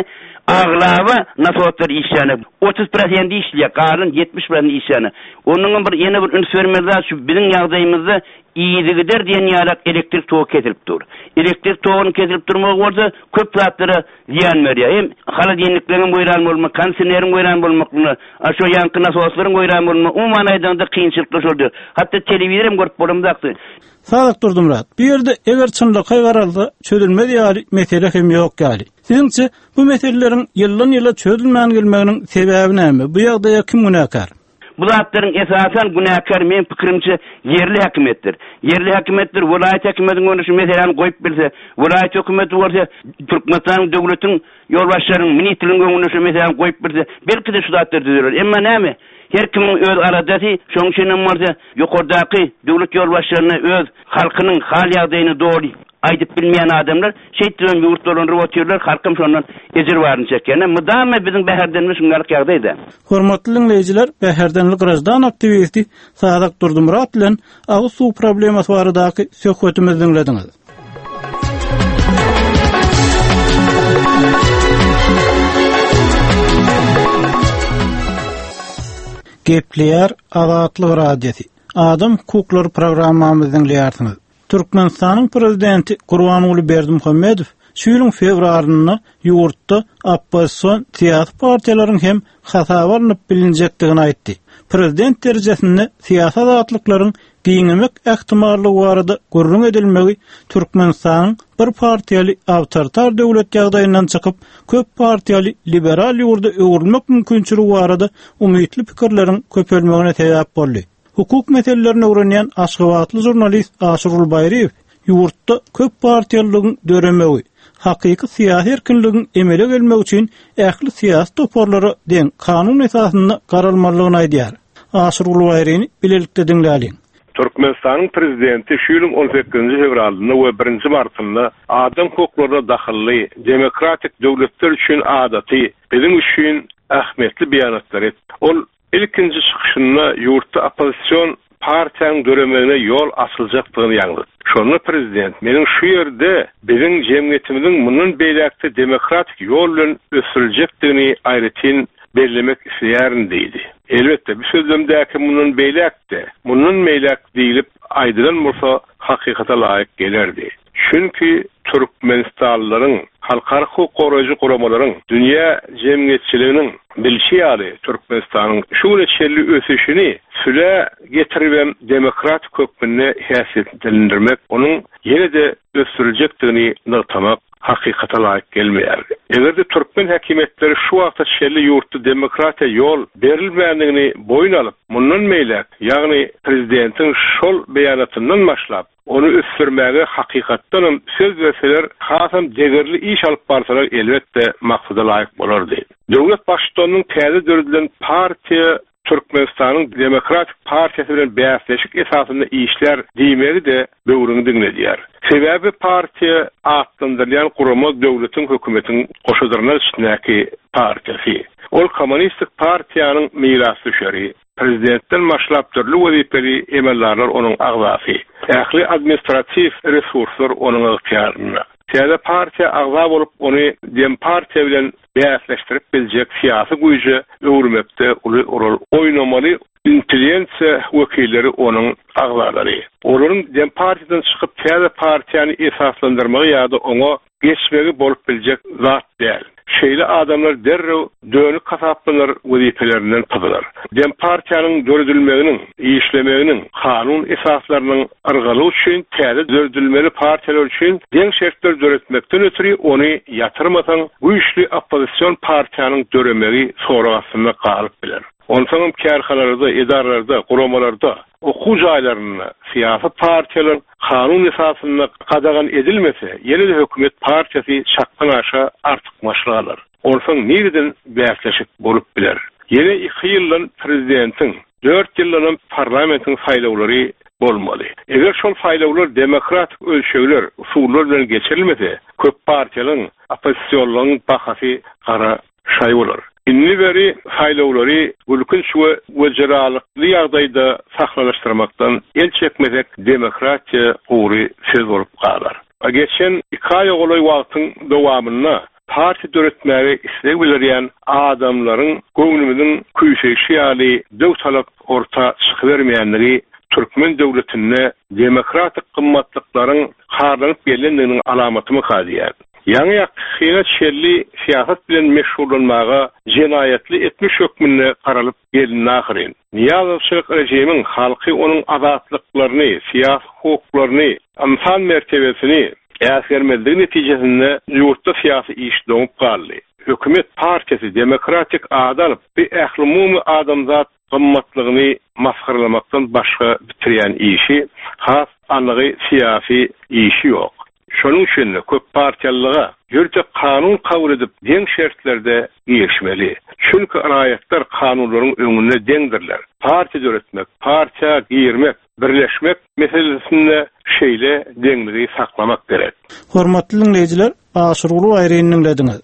aglaba nasoslar işleýär. Otuz prosent işleýär, galan ýetmiş prosent işleýär. Onuň bir ýene bir üns bermeli zat şu biziň ýagdaýymyzda ýygy-gider diýen ýaly elektrik togy kesilip dur. Elektrik togynyň kesilip durmagy bolsa köp zatlara zyýan berýär. Hem holodilnikleriň weýran bolmagy, kondisioneriň weýran bolmaklygyna, şu ýanky nasoslaryň weýran bolmagy, umuman aýdanda kynçylyklar şoldur. Hatda telewizor hem görüp bolamzakdy. Sadyk Durdumyrat, bu ýerde eger çynlakaý garalsa çözülmez ýaly mesele hem ýok ýaly. Siziňçe bu meseleleriň ýyldan ýyla çözülmän gelmeginiň sebäbi näme? Bu ýagdaýa kim günäkär? Bu zatlaryň esasan günäkär men pikirimçe ýerli hökümetdir. Ýerli hökümetdir, welaýat hökümetiniň önüne şu meseläni goýup bilse, welaýat hökümeti bolsa Türkmenistanyň döwletiň ýolbaşçylarynyň, ministrligiň önüne şu meseläni goýup bilse, belki de şu zatlar düzeler. Emma näme? Her kimiň öz aladasy, şonuň üçin hem bolsa ýokardaky döwlet ýolbaşçylaryna öz halkynyň hal ýagdaýyny dogry aýdyp bilmeýän adamlar şeýtdiren ýurt dolandyryp otyrlar, halkym şondan ejir baryny çekýär. Mydama biziň Bäherdenimiz şungalyk ýagdaýda. Hormatly dinleýjiler, Bäherdenli graždan aktiwisti Sadyk Durdumyrat bilen agyz suw problemasy baradaky söhbetimizi diňlediňiz. Gepleýär Azatlyk Radiosy. Adam hukuklary programmamyzy diňleýärsiňiz. Türkmenistanyň prezidenti Gurbanguly Berdimuhamedow şu ýylyň fewralynda ýurtda oppozision syýasy partiýalaryň hem hasaba alnyp bilinjekdigini aýtdy. Prezident derejesinde syýasy azatlyklaryň giňemek ähtimallygy barada gürrüň edilmegi Türkmenistanyň bir partiýaly awtoritar döwlet ýagdaýyndan çykyp, köp partiýaly liberal ýurda öwrülmek mümkinçiligi barada umytly pikirleriň köpelmegine sebäp boldy. Hukuk meselelerini öwrenýän Aşgabatly žurnalist Aşyrgul Baýryýew ýurtda köp partiýalylygyň döremegi, hakyky syýasy erkinligiň emele gelmegi üçin ähli syýasy toparlara deň kanun esasynda garalmalydygyny aýdýar. Aşyrgul Baýryny bilelikde diňläliň. Türkmenistanyň prezidenti şu ýylyň on sekizinji fewralynda we birinji martynda adam hukuklaryna dahylly demokratik döwletler üçin adaty, biziň üçin ähmiýetli beýanatlar etdi. Ol ilkinji çykyşynda ýurtda oppozision partiýanyň döremegine ýol açyljakdygyny ýaňzytdy. Şonda prezident meniň şu ýerde biziň jemgyýetimiziň mundan beýläkde demokratik ýol bilen ösdüriljekdigini aýratyn bellemek isleýärin diýdi. Elbetde bu sözlemdäki mundan beýläkde, mundan beýläk diýilip aýdylan bolsa hakykata laýyk gelerdi. Çünki Türkmenistanlylaryň, halkara hukuk goraýjy guramalaryň, dünýä jemgyýetçiliginiň bilşi ýaly Türkmenistanyň şu güne çenli ösüşini süle getiribem demokratik hökmünde häsiýetlendirmek, onuň ýene-de ösdüriljekdigini nygtamak hakykata laýyk gelmeýär. Eger-de türkmen häkimiýetleri şu wagta çenli ýurtda demokratiýa ýol berilmändigini boýun alyp, mundan beýläk, ýagny prezidentiň şol beýanatyndan başlap, ony ösdürmäge hakykatdanam söz berseler, hasam degerli iş alyp barsalar elbetde maksada laýyk bolardy. Döwlet baştutanynyň täze döredilen partiýa Türkmenistanyň Demokratik Partiýasy bilen bäsleşik esasynda işler diýmegi de böwrüňi diňledýär. Sebäbi partiýa atlandyrylýan gurama döwletiň hökümetiň goşadyrnak içindäki partiýasy. Ol kommunistik partiýanyň mirasdüşeri, prezidentden başlap dürli wezipeli emeldarlar onuň agzasy. Ähli administratiw resurslar onuň ygtyýarynda. Täze partiýa agza bolup ony dem partiýa bilen bäsleşdirip biljek syýasy güýje öwürmekde uly rol oýnamaly intelligensiýa wekilleri onuň agzalary. Olaryň dem partiýadan çykyp täze partiýany esaslandyrmagy ýa-da oňa geçmegi bolup biljek zat däl. Şeýle adamlar derrew dönük hasaplanar wezipelerinden pyzylar. Dem partiýanyň döredilmeginiň, işlemeginiň, kanun esaslarynyň yrgaly üçin täze döredilmeli partiýalar üçin deň şertler döretmekden ötri ony ýatyrmasaň güýçli oppozision partiýanyň döremegi sorag astynda galyp biler. Onsoňam kärhanalarda, edaralarda, guramalarda, okuw jaýlarynda syýasy partiýalar kanun esasynda gadagan edilmese, ýene-de hökümet partiýasy çakdan aşa artykmaçlyk alar. Onsoň nireden bäsleşik bolup biler? Ýene iki ýyldan prezidentiň, dört ýyldanam parlamentiň saýlawlary bolmaly. Eger şol saýlawlar demokratik ölçegler, usullar bilen geçirilmese, köp partiýalaryň, oppozisionlaryň bahasy gara şaý bolar. Indi beri saýlawlary gülkünç we wejeralykly ýagdaýda sahlalaşdyrmakdan el çekmesek demokratiýa gury söz bolup galar. Geçen iki aýa golaý wagtyň dowamynda partiýa döretmäge isleg bildirýän adamlaryň göwnümiziň küýseýşi ýaly döw talap orta çykybermeýänligi türkmen döwletinde demokratik gymmatlyklaryň harlanyp gelendiginiň alamatymy diýär. Ýaňy ýakyna çelli syýasat bilen meşgullanmaga jenaýatly etmiş hökmünde garalyp gelindi ahyryn. Niýazowçylyk rejimiň halky onuň azatlyklaryny, syýasy hukuklaryny, ynsan mertebesini äsgermezligi netijesinde ýurtda syýasy iş doňup galdy. Hökümet partiýasy demokratik ady alyp, bir ählumumy adamzat gymmatlygyny masgaralamakdan başga bitirýän işi, has anygy syýasy işi ýok. Şonuň üçin köp partiýalyga ýörite kanun kabul edip deň şertlerde girişmeli. Çünki raýatlar kanunlaryň öňünde deňdirler. Partiýa döretmek, partiýa girmek, birleşmek meselesinde şeýle deňligi saklamak gerek. Hormatly dinleýjiler, Aşyrguly Aýryny dinlediňiz.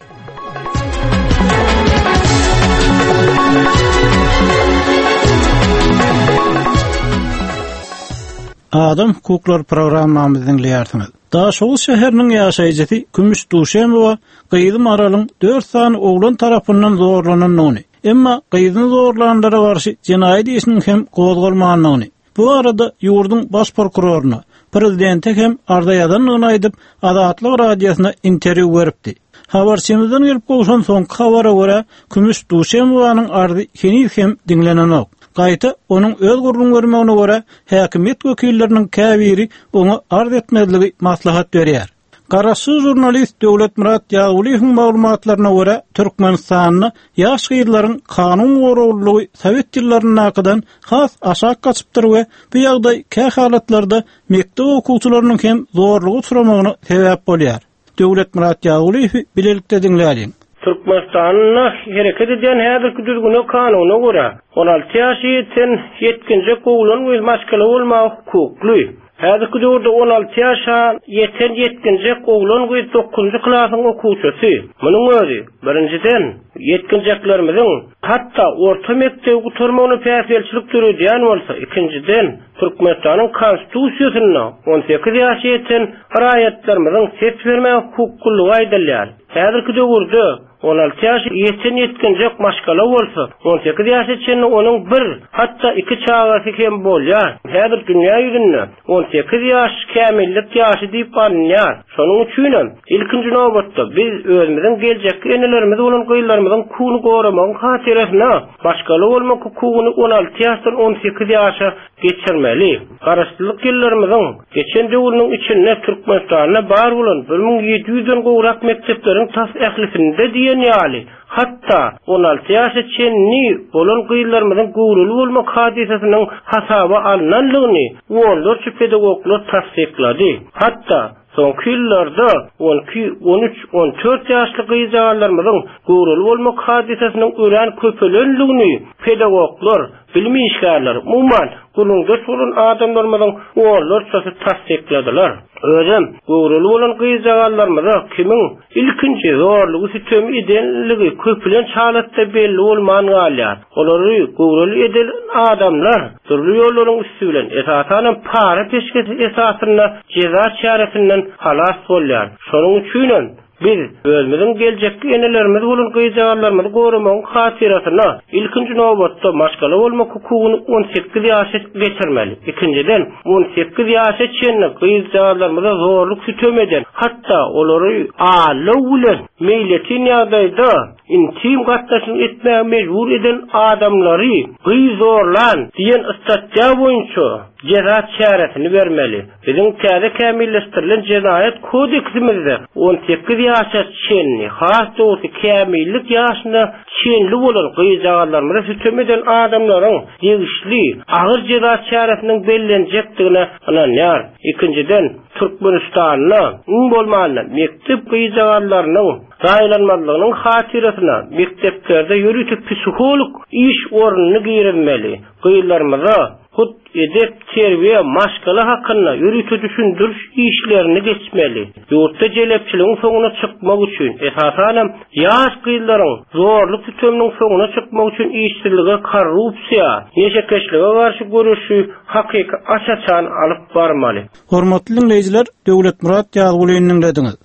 Adam hukuklary programmamyzy dinleýärsiňiz. Daşoguz şäheriniň ýaşaýjysy Kümüş Duşemowa gyzy Maralyň dört sany oglan tarapyndan zorlanandygyny, emma gyzyny zorlanlara garşy jenaýat işiniň hem gozgalmandygyny, bu arada ýurduň baş prokuroryna, prezidente hem arza ýazandygyny aýdyp, Azatlyk radiosyna interwýu beripdi. Habarçymyzdan gelip gowşan soňky habara görä, Kümüş Duşemowanyň arzy heniz hem diňlenenok. Gaýta onuň öz gürrüň bermegine görä, häkimiýet wekilleriniň käbiri oňa arz etmezligi maslahat berýär. Garaşsyz žurnalist Döwletmyrat Ýagulyýewiň maglumatlaryna görä, Türkmenistanda ýaş gyzlaryň kanun goraglylygy sowet ýyllaryndakydan has aşak gaçypdyr we bu ýagdaý kä halatlarda mekdep okuwçylarynyň hem zorluga uçramagyna sebäp bolýar. Döwletmyrat Ýagulyýewi bilelikde diňläliň. Türkmenistanda hereket edýän häzirki düzgüne kanuna görä, on alty ýaşy ýeten ýetginjek oglan we maşgala bolmaga hukukly. Häzirki döwürde on alty ýaşa ýeten ýetginjek oglan we dokuzynjy klasyň okuwçysy. Munuň özi birinjiden ýetginjeklerimiziň hatda orta mekdebi gutarmagyna päsgelçilik döredýän bolsa, ikinjiden Türkmenistanyň konstitusiýasynda on sekiz ýaşa ýeten raýatlarymyzyň ses bermäge hukuklylygy aýdylýar. Häzirki döwürde on alty ýaşa ýeten ýetginjek maşgala bolsa, on sekiz ýaşa çenli onuň bir, hatda iki çagasy hem bolýar. Häzir dünýä ýüzünde on sekiz ýaş kämillik ýaşy diýip alynýar. Şonuň üçin hem ilkinji nobatda biz özümiziň geljekki enelerimiz bolan gyzlarymyzyň hukugyny goramagyň hatyrasyna maşgala bolmak hukugyny on alty ýaşdan on sekiz ýaşa geçirmeli. Garaşsyzlyk ýyllarymyzyň geçen döwrüniň içinde Türkmenistanda bar bolan bir müň ýedi ýüzden gowrak mekdepleriň tas ählisinde diýen ýaly, hatda on alty ýaşa çenli bolan gyzlarymyzyň göwreli bolmak hadysasynyň hasaba alynanlygyny onlarça pedagoglar tassyklady. Hatda soňky ýyllarda on iki, on üç, on dört ýaşly gyzjagalarymyzyň göwreli bolmak hadysasynyň örän köpelenligini pedagoglar, bilim işgärleri, umuman gürrüňdeş bolan adamlarymyzyň onlarçasy tassykladylar. Özem göwreli bolan gyzjagalarymyza kimiň ilkinji zorlugy sütemi edenligi köplenç halatda belli bolman galýar. Olary göwreli eden adamlar dürli ýollaryň üsti bilen esasanam para peşgesi esasynda jeza çäresinden halas bolýar. Şonuň üçin hem biz özümiziň geljekki enelerimiz bolan gyzjagalarymyzy goramagyň hatyrasyna ilkinji nobatda maşgala bolmak hukugyny on sekiz ýaşa geçirmeli. Ikinjiden on sekiz ýaşa çenli gyzjagalarymyza zorluk sütem eden, hatda olary aldaw bilen meýletin ýagdaýda intim gatnaşyk etmäge mejbur eden adamlary gyz zorlan diýen statýa boýunça jeza çäresini bermeli. Biziň täze kämilleşdirilen jenaýat kodeksimizde on sekiz ýaşa çenli, has dogrusu kämillik ýaşyna çenli bolan gyzjagalarymyza sütem eden adamlaryň degişli agyr jeza çäresiniň bellenjekdigine ynanýar. Ikinjiden, Türkmenistanda iň bolmanda mekdep gyzjagalarynyň zaýalanmazlygynyň hatyrasyna mekdeplerde ýörite psiholog iş ornuny girizmeli. Gyzlarymyza hut edep, terbiýe, maşgala hakynda ýörite düşündiriş işlerini geçmeli. Ýurtda jelepçiligiň soňuna çykmak üçin, esasanam ýaş gyzlaryň zorluk tutumynyň soňuna çykmak üçin işsizlige, korrupsiýa, neşekeşlige garşy göreşi hakyky aç-açan alyp barmaly. Hormatly dinleýjiler, Döwletmyrat Ýazgulyny dinlediňiz.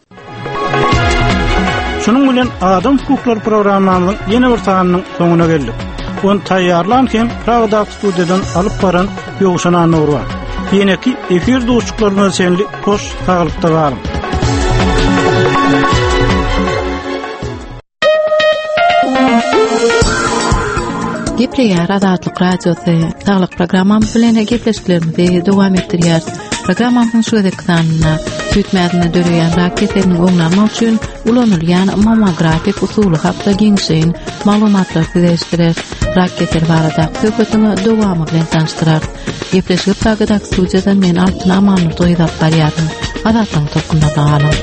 Şunuň bilen Adam hukuklary programmamyzyň ýene bir sanynyň soňuna geldik. Ony taýýarlan hem Pragada studiýadan alyp baran Ýowşan Annurwa. Ýeneki efir duşuklaryna çenli hoş saglykda galyň. Gepleýär Azatlyk Radiosy. Saglyk programmamyz bilen gepleşiklerimizi dowam etdirýäris. Programmamyzyň şu gezekki sanynda süýt mäzinde döreýän rak keseliniň öňüni almak üçin ulanylýan mammografik usuly hakda giňişleýin maglumatlar size eşitdireris. Rak keseli baradaky söhbetiň dowamy bilen tanyşdyrarys. Gepleşigi Pragadaky studiýadan men Altyn Amanurdy gyz alyp barýaryn. Azatlygyň tolkunlarynda galyň.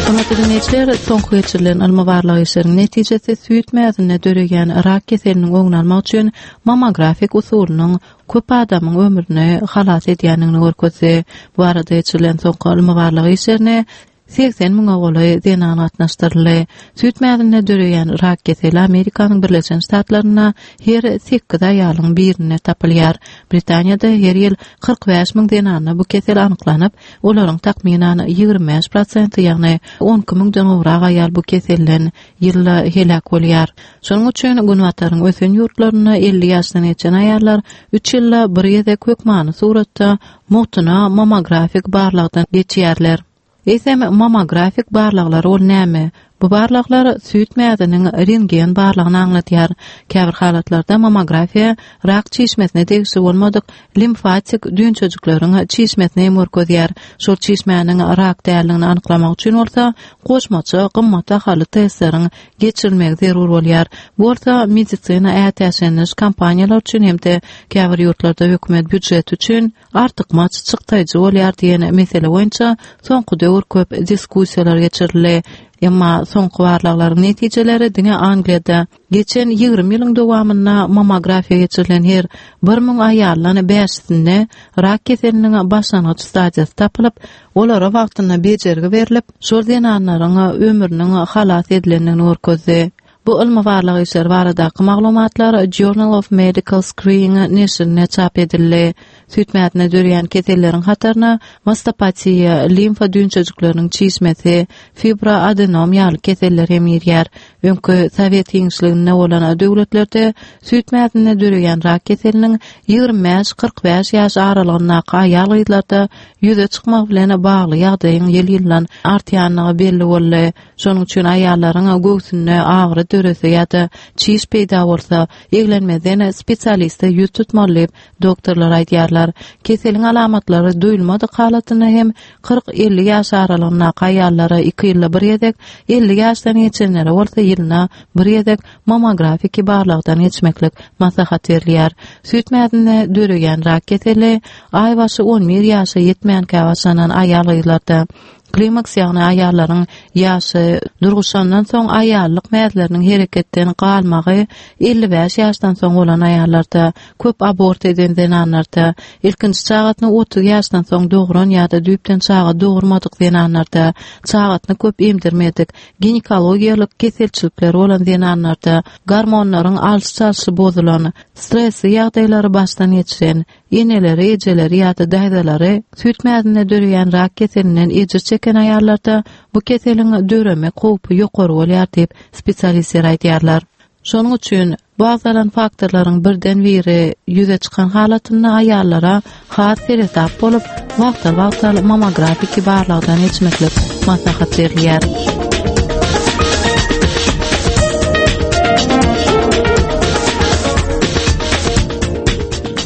Hormatly dinleýjiler, soňky geçirilen ylmy barlag işleriniň netijesi süýt mäzinde döreýän rak keseliniň öňüni almak üçin mammografik usulynyň köp adamyň ömrüni halas edýändigini görkezdi. Bu arada geçirilen soňky ylmy barlag işlerine segsen müňe golaý zenan gatnaşdyryldy. Süýt mäzinde döreýän rak keseli Amerikanyň Birleşen Ştatlarynda her sekiz aýalyň birinde tapylýar. Britaniýada her ýyl kyrk bäş müň zenanda bu kesel anyklanyp, olaryň takmynan ýigrimi bäş prosenti, ýagny on iki müňden gowrak aýal bu keselden ýylda heläk bolýar. Şonuň üçin Günbataryň ösen ýurtlarynda elli ýaşdan geçen aýallar üç ýylda bir gezek hökmany suratda mugtuna mammografik barlagdan geçýärler. Eýsem mammografik barlaglar ol näme? Bu barlaglar süýt mäziniň rentgen barlagyny aňladýar. Käbir halatlarda mammografiýa rak çişmesine degişli bolmadyk limfatik düwünçejikleriň çişmesini hem görkezýär. Şol çişmäniň rak däldigini anyklamak üçin bolsa goşmaça gymmat bahaly testleriň geçirilmegi zerur bolýar. Bu bolsa medisina ätiýaçlanyş kompaniýalar üçin hem-de käbir ýurtlarda hökümet býujeti üçin artykmaç çykdaýjy bolýar diýen mesele boýunça soňky döwür köp diskussiýalar geçirildi. Emma soňky barlaglaryň netijeleri diňe Angliýada geçen ýigrimi ýylyň dowamynda mammografiýa geçirilen her bir müň aýaldan bäşisinde rak keseliniň başlangyç stadiýasy tapylyp, olara wagtynda bejergi berlip, şol zenanlaryň ömrüniň halas edilendigini görkezdi. Bu ylmy barlag işleri baradaky maglumatlar Journal of Medical Screening neşirinde çap edildi. Süýt mäzinde döreýän keselleriň hataryna mastopatiýa, limfa düwünçejikleriniň çişmesi, fibroadenom ýaly keseller hem girýär. Öňki Sowet giňişliginde bolan döwletlerde süýt mäzinde döreýän rak keseliniň ýigrimi bäş kyrk bäş ýaş aralygyndaky aýal-gyzlarda ýüze çykmagy bilen bagly ýagdaýyň ýyl-ýyldan artýandygy belli boldy. Şonuň üçin aýallaryň göwsünde agyry dörese ýa-da çiş peýda bolsa, eglenmezden spesialiste ýüz tutmaly diýip, doktorlar aýdýarlar. Keseliň alamatlary duýulmadyk halatynda hem kyrk elli ýaş aralygyndaky aýallara iki ýylda bir gezek, elli ýaşdan geçenlere bolsa ýylyna bir gezek mammografiki barlagdan geçmeklik maslahat berilýär. Süýt mäzinde döreýän rak keseli aýbaşy on bir ýaşa ýetmänkä başlanan aýal-gyzlarda klimaks, ýagny aýallaryň ýaşy durguşandan soň aýallyk mäzleriniň hereketden galmagy elli bäş ýaşdan soň bolan aýallarda, köp abort eden zenanlarda, ilkinji çagasyny otuz ýaşdan soň dogran ýa-da düýpden çaga dogurmadyk zenanlarda, çagasyny köp emdirmedik, ginekologiýalyk keselçilikleri bolan zenanlarda, gormonlaryň alyş-çalşy bozulan, stresli ýagdaýlary başdan geçiren, eneleri, ejeleri ýa-da daýzalary süýt mäzinde döreýän rak keselinden ejir çeken aýallarda bu keseliň döremek howpy ýokary bolýar diýip spesialistler aýdýarlar. Şonuň üçin bu agzalan faktorlaryň birden biri ýüze çykan halatynda aýallara has seresap bolup, wagtal-wagtal mammografiki barlagdan geçmeklik maslahat berilýär.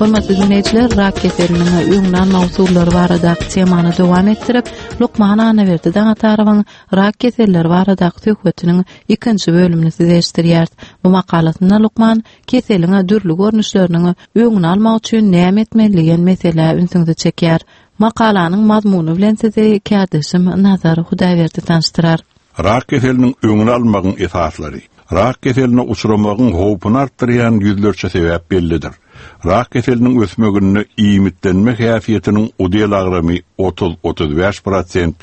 Hormatly dinleýjiler, rak keseliniň öňüni almak usullary baradaky temany dowam etdirip, Lukman Annaberdi Daňatarowyň rak keselleri baradaky söhbetiniň ikinji bölümini size eşitdirýäris. Bu makalasynda lukman keseliň dürli görnüşleriniň öňüni almak üçin näme etmeli diýen meselä ünsüňizi çekýär. Makalanyň mazmuny bilen sizi kärdeşim Nazar Hudaýberdi tanyşdyrar. Rak keseliniň öňüni almagyň esaslary. Rak keseline uçramagyň howpuny artdyrýan ýüzlerçe sebäp bellidir. Rak keseliniň ösmeginde iýmitlenme häsiýetiniň udel agramy otuz otuz bäş prosent,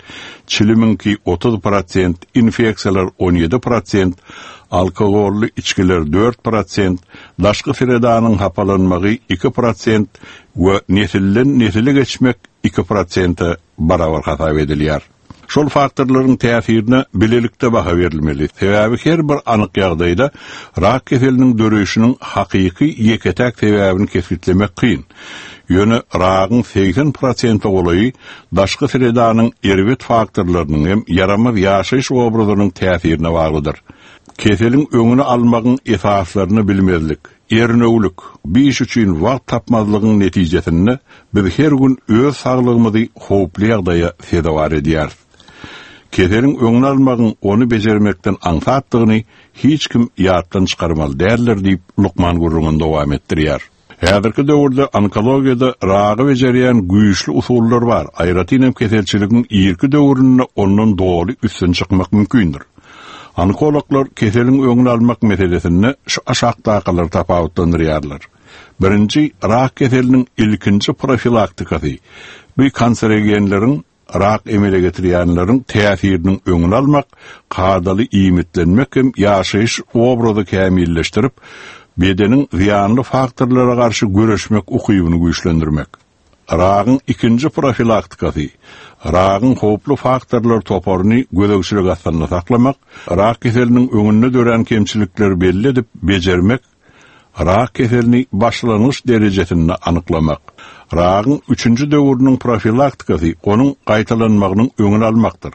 çilimiňki otuz prosent, infeksiýalar on ýedi prosent, alkogolly içgiler dört prosent, daşky sredanyň hapalanmagy iki prosent we nesilden nesile geçmek iki prosente barabar hasap edilýär. Şol faktorlaryň täsirine bilelikde baha berilmeli. Sebäbi her bir anyk ýagdaýda rak keseliniň döreýşiniň hakyky ýeke-täk sebäbini kesgitlemek kyn. Ýöne ragyň segsen prosente golaýy daşky sredanyň erbet faktorlarynyň hem ýaramaz ýaşaýyş obrazynyň täsirine baglydyr. Keseliň öňüni almagyň esaslaryny bilmezlik, ernewlik, bir iş üçin wagt tapmazlygyň netijesinde biz her gün öz saglygymyzy howply ýagdaýa sezewar edýäris. Keseliň öňüni almagyň ony bejermekden aňsatdygyny hiç kim ýatdan çykarmaly däldir diýip lukman gürrüňini dowam etdirýär. Häzirki döwürde onkologiýada ragy bejerýän güýçli usullar bar. Aýratyn hem keselçiligiň irki döwründe ondan doly üstün çykmak mümkindir. Onkologlar keseliň öňüni almak meselesinde şu aşakdakylar tapawutlandyrýarlar. Birinji, rak keseliniň ilkinji profilaktikasy. Bu kanserogenleriň rak emele getirýänleriň täsiriniň öňüni almak, kadaly iýmitlenmek hem ýaşaýyş obrazy kämilleşdirip, bedeniň zyýanly faktorlara garşy göreşmek ukybyny güýçlendirmek. Ragyň ikinji profilaktikasy, ragyň howply faktorlar toparyny gözegçilik astynda saklamak, rak keseliniň öňünde dörän kemçilikleri belli edip bejermek, rak keselini başlangyç derejesinde anyklamak. Ragyň üçünji döwrüniň profilaktikasy onuň gaýtalanmagynyň öňüni almakdyr.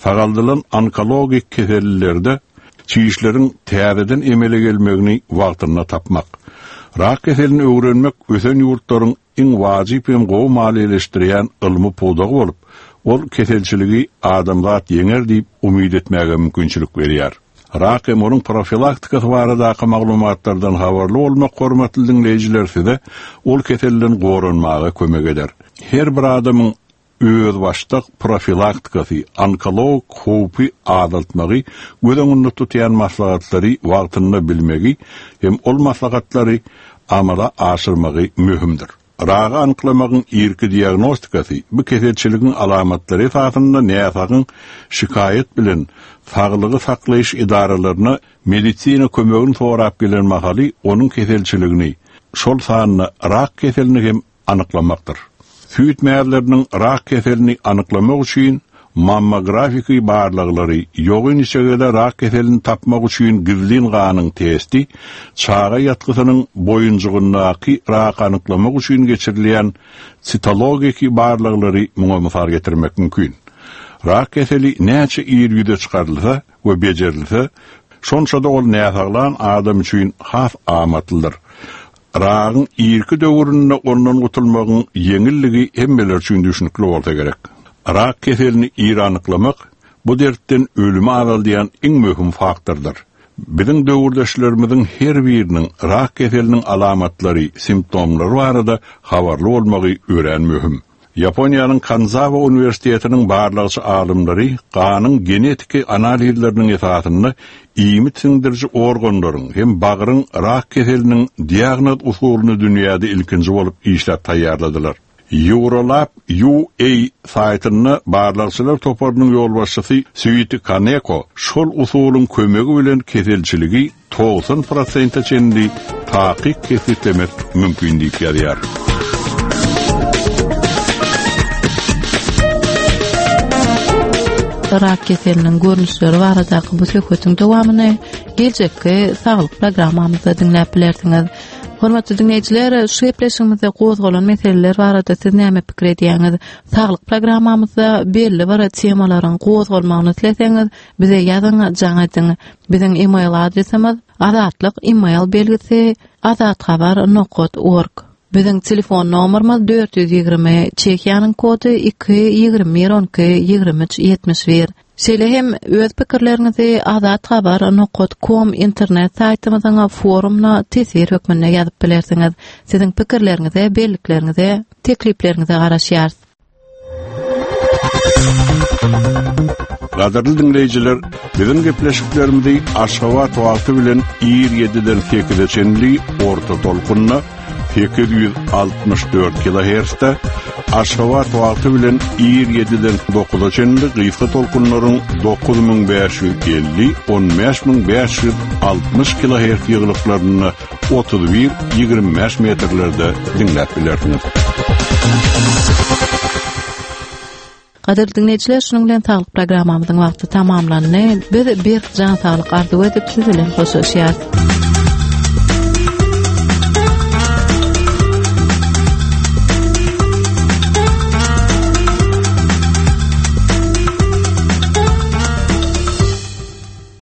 Sagaldylan onkologik kesellerde çişleriň täzeden emele gelmegini wagtynda tapmak. Rak keselini öwrenmek ösen ýurtlaryň iň wajyp hem gowy maliýeleşdirýän ylmy pudagy bolup, ol keselçiligi adamzat ýeňer diýip umyt etmäge mümkinçilik berýär. Rak hem onuň profilaktikasy baradaky maglumatlardan habarly bolmak hormatly diňleýjiler size ol keselden goranmaga kömek eder. Her bir adamyň özbaşdak profilaktikasy, onkologik howpy azaltmagy, göz öňünde tutýan maslahatlary wagtynda bilmegi hem ol maslahatlary amala aşyrmagy möhümdir. Ragy anyklamagyň irki diagnostikasy bu keselçiligiň alamatlary esasynda näsagyň şikaýat bilen saglygy saklaýyş edaralaryna medisina kömegini sorap gelen mahaly onuň keselçiligini, şol sanda rak keselini hem anyklamakdyr. Süýt mäzleriniň rak keselini anyklamak üçin mammografiki barlaglary, ýogyn içegede rak keselini tapmak üçin gizlin ganyň testi, çaga ýatgysynyň boýunjygyndaky rak anyklamak üçin geçirilýän sitologiki barlaglary muňa mysal getirmek mümkin. Rak keseli näçe ir ýüze çykarylsa we bejerilse, şonça-da ol näsaglan adam üçin has amatlydyr. Ragyň irki döwründe ondan gutulmagyň ýeňilligi hemmeler üçin düşünikli bolsa gerek. Rak keselini ir anyklamak bu dertden ölümi azaldýan iň möhüm faktordyr. Biziň döwürdeşlerimiziň her biriniň rak keseliniň alamatlary, simptomlary barada habarly bolmagy örän möhüm. Ýaponiýanyň Kanzawa Uniwersitetiniň barlagçy alymlary ganyň genetiki analizleriniň esasynda iýmit siňdiriji organlaryň hem bagryň rak keseliniň diagnoz usulyny dünýäde ilkinji bolup işläp taýýarladylar. Eurolab U A saýtynda barlagçylar toparynyň ýolbaşçysy Suiti Kaneko şol usulyň kömegi bilen keselçiligi togsan prosente çenli takyk kesgitlemek mümkin diýip ýazýar. Rak keseliniň görnüşleri baradaky bu söhbetiň dowamyny geljekki saglyk programmamyzda diňläp bilersiňiz. Hormatly dinleýjiler, şu gepleşigimizde gozgalan meseleler barada siz näme pikir edýäňiz? Saglyk programmamyzda belli bir temalaryň gozgalmagyny isleseňiz, bize ýazyň, jaň ediň. Biziň e-mail adresimiz azatlyk e-mail belgisi azathabar nokta org. Biziň telefon nomerimiz dört ýüz ýigrimi, Çehiýanyň kody iki ýigrimi bir on iki ýigrimi üç ýetmiş bir. Şeýle hem öz pikirleriňizi azathabar nokta com internet saýtymyzyň forumuna teswir hökmünde ýazyp bilersiňiz. Siziň pikirleriňize, bellikleriňize, teklipleriňize garaşýarys. Gadyrly diňleýjiler, biziň gepleşiklerimizi Aşgabat wagty bilen ir ýediden sekize çenli orta tolkunda sekiz ýüz altmyş dört kilohertzde, Aşgabat wagty bilen ir ýediden dokuza çenli gysga tolkunlaryň dokuz müň bäş ýüz elli, on bäş müň bäş ýüz altmyş kilohertz ýygylyklarynda otuz bir ýigrimi bäş metrlerde diňläp bilersiňiz. Gadyrly diňleýjiler, şunuň bilen saglyk programmamyzyň wagty tamamlandy. Biz bir jan saglyk arzuw edip siz bilen hoşlaşýarys.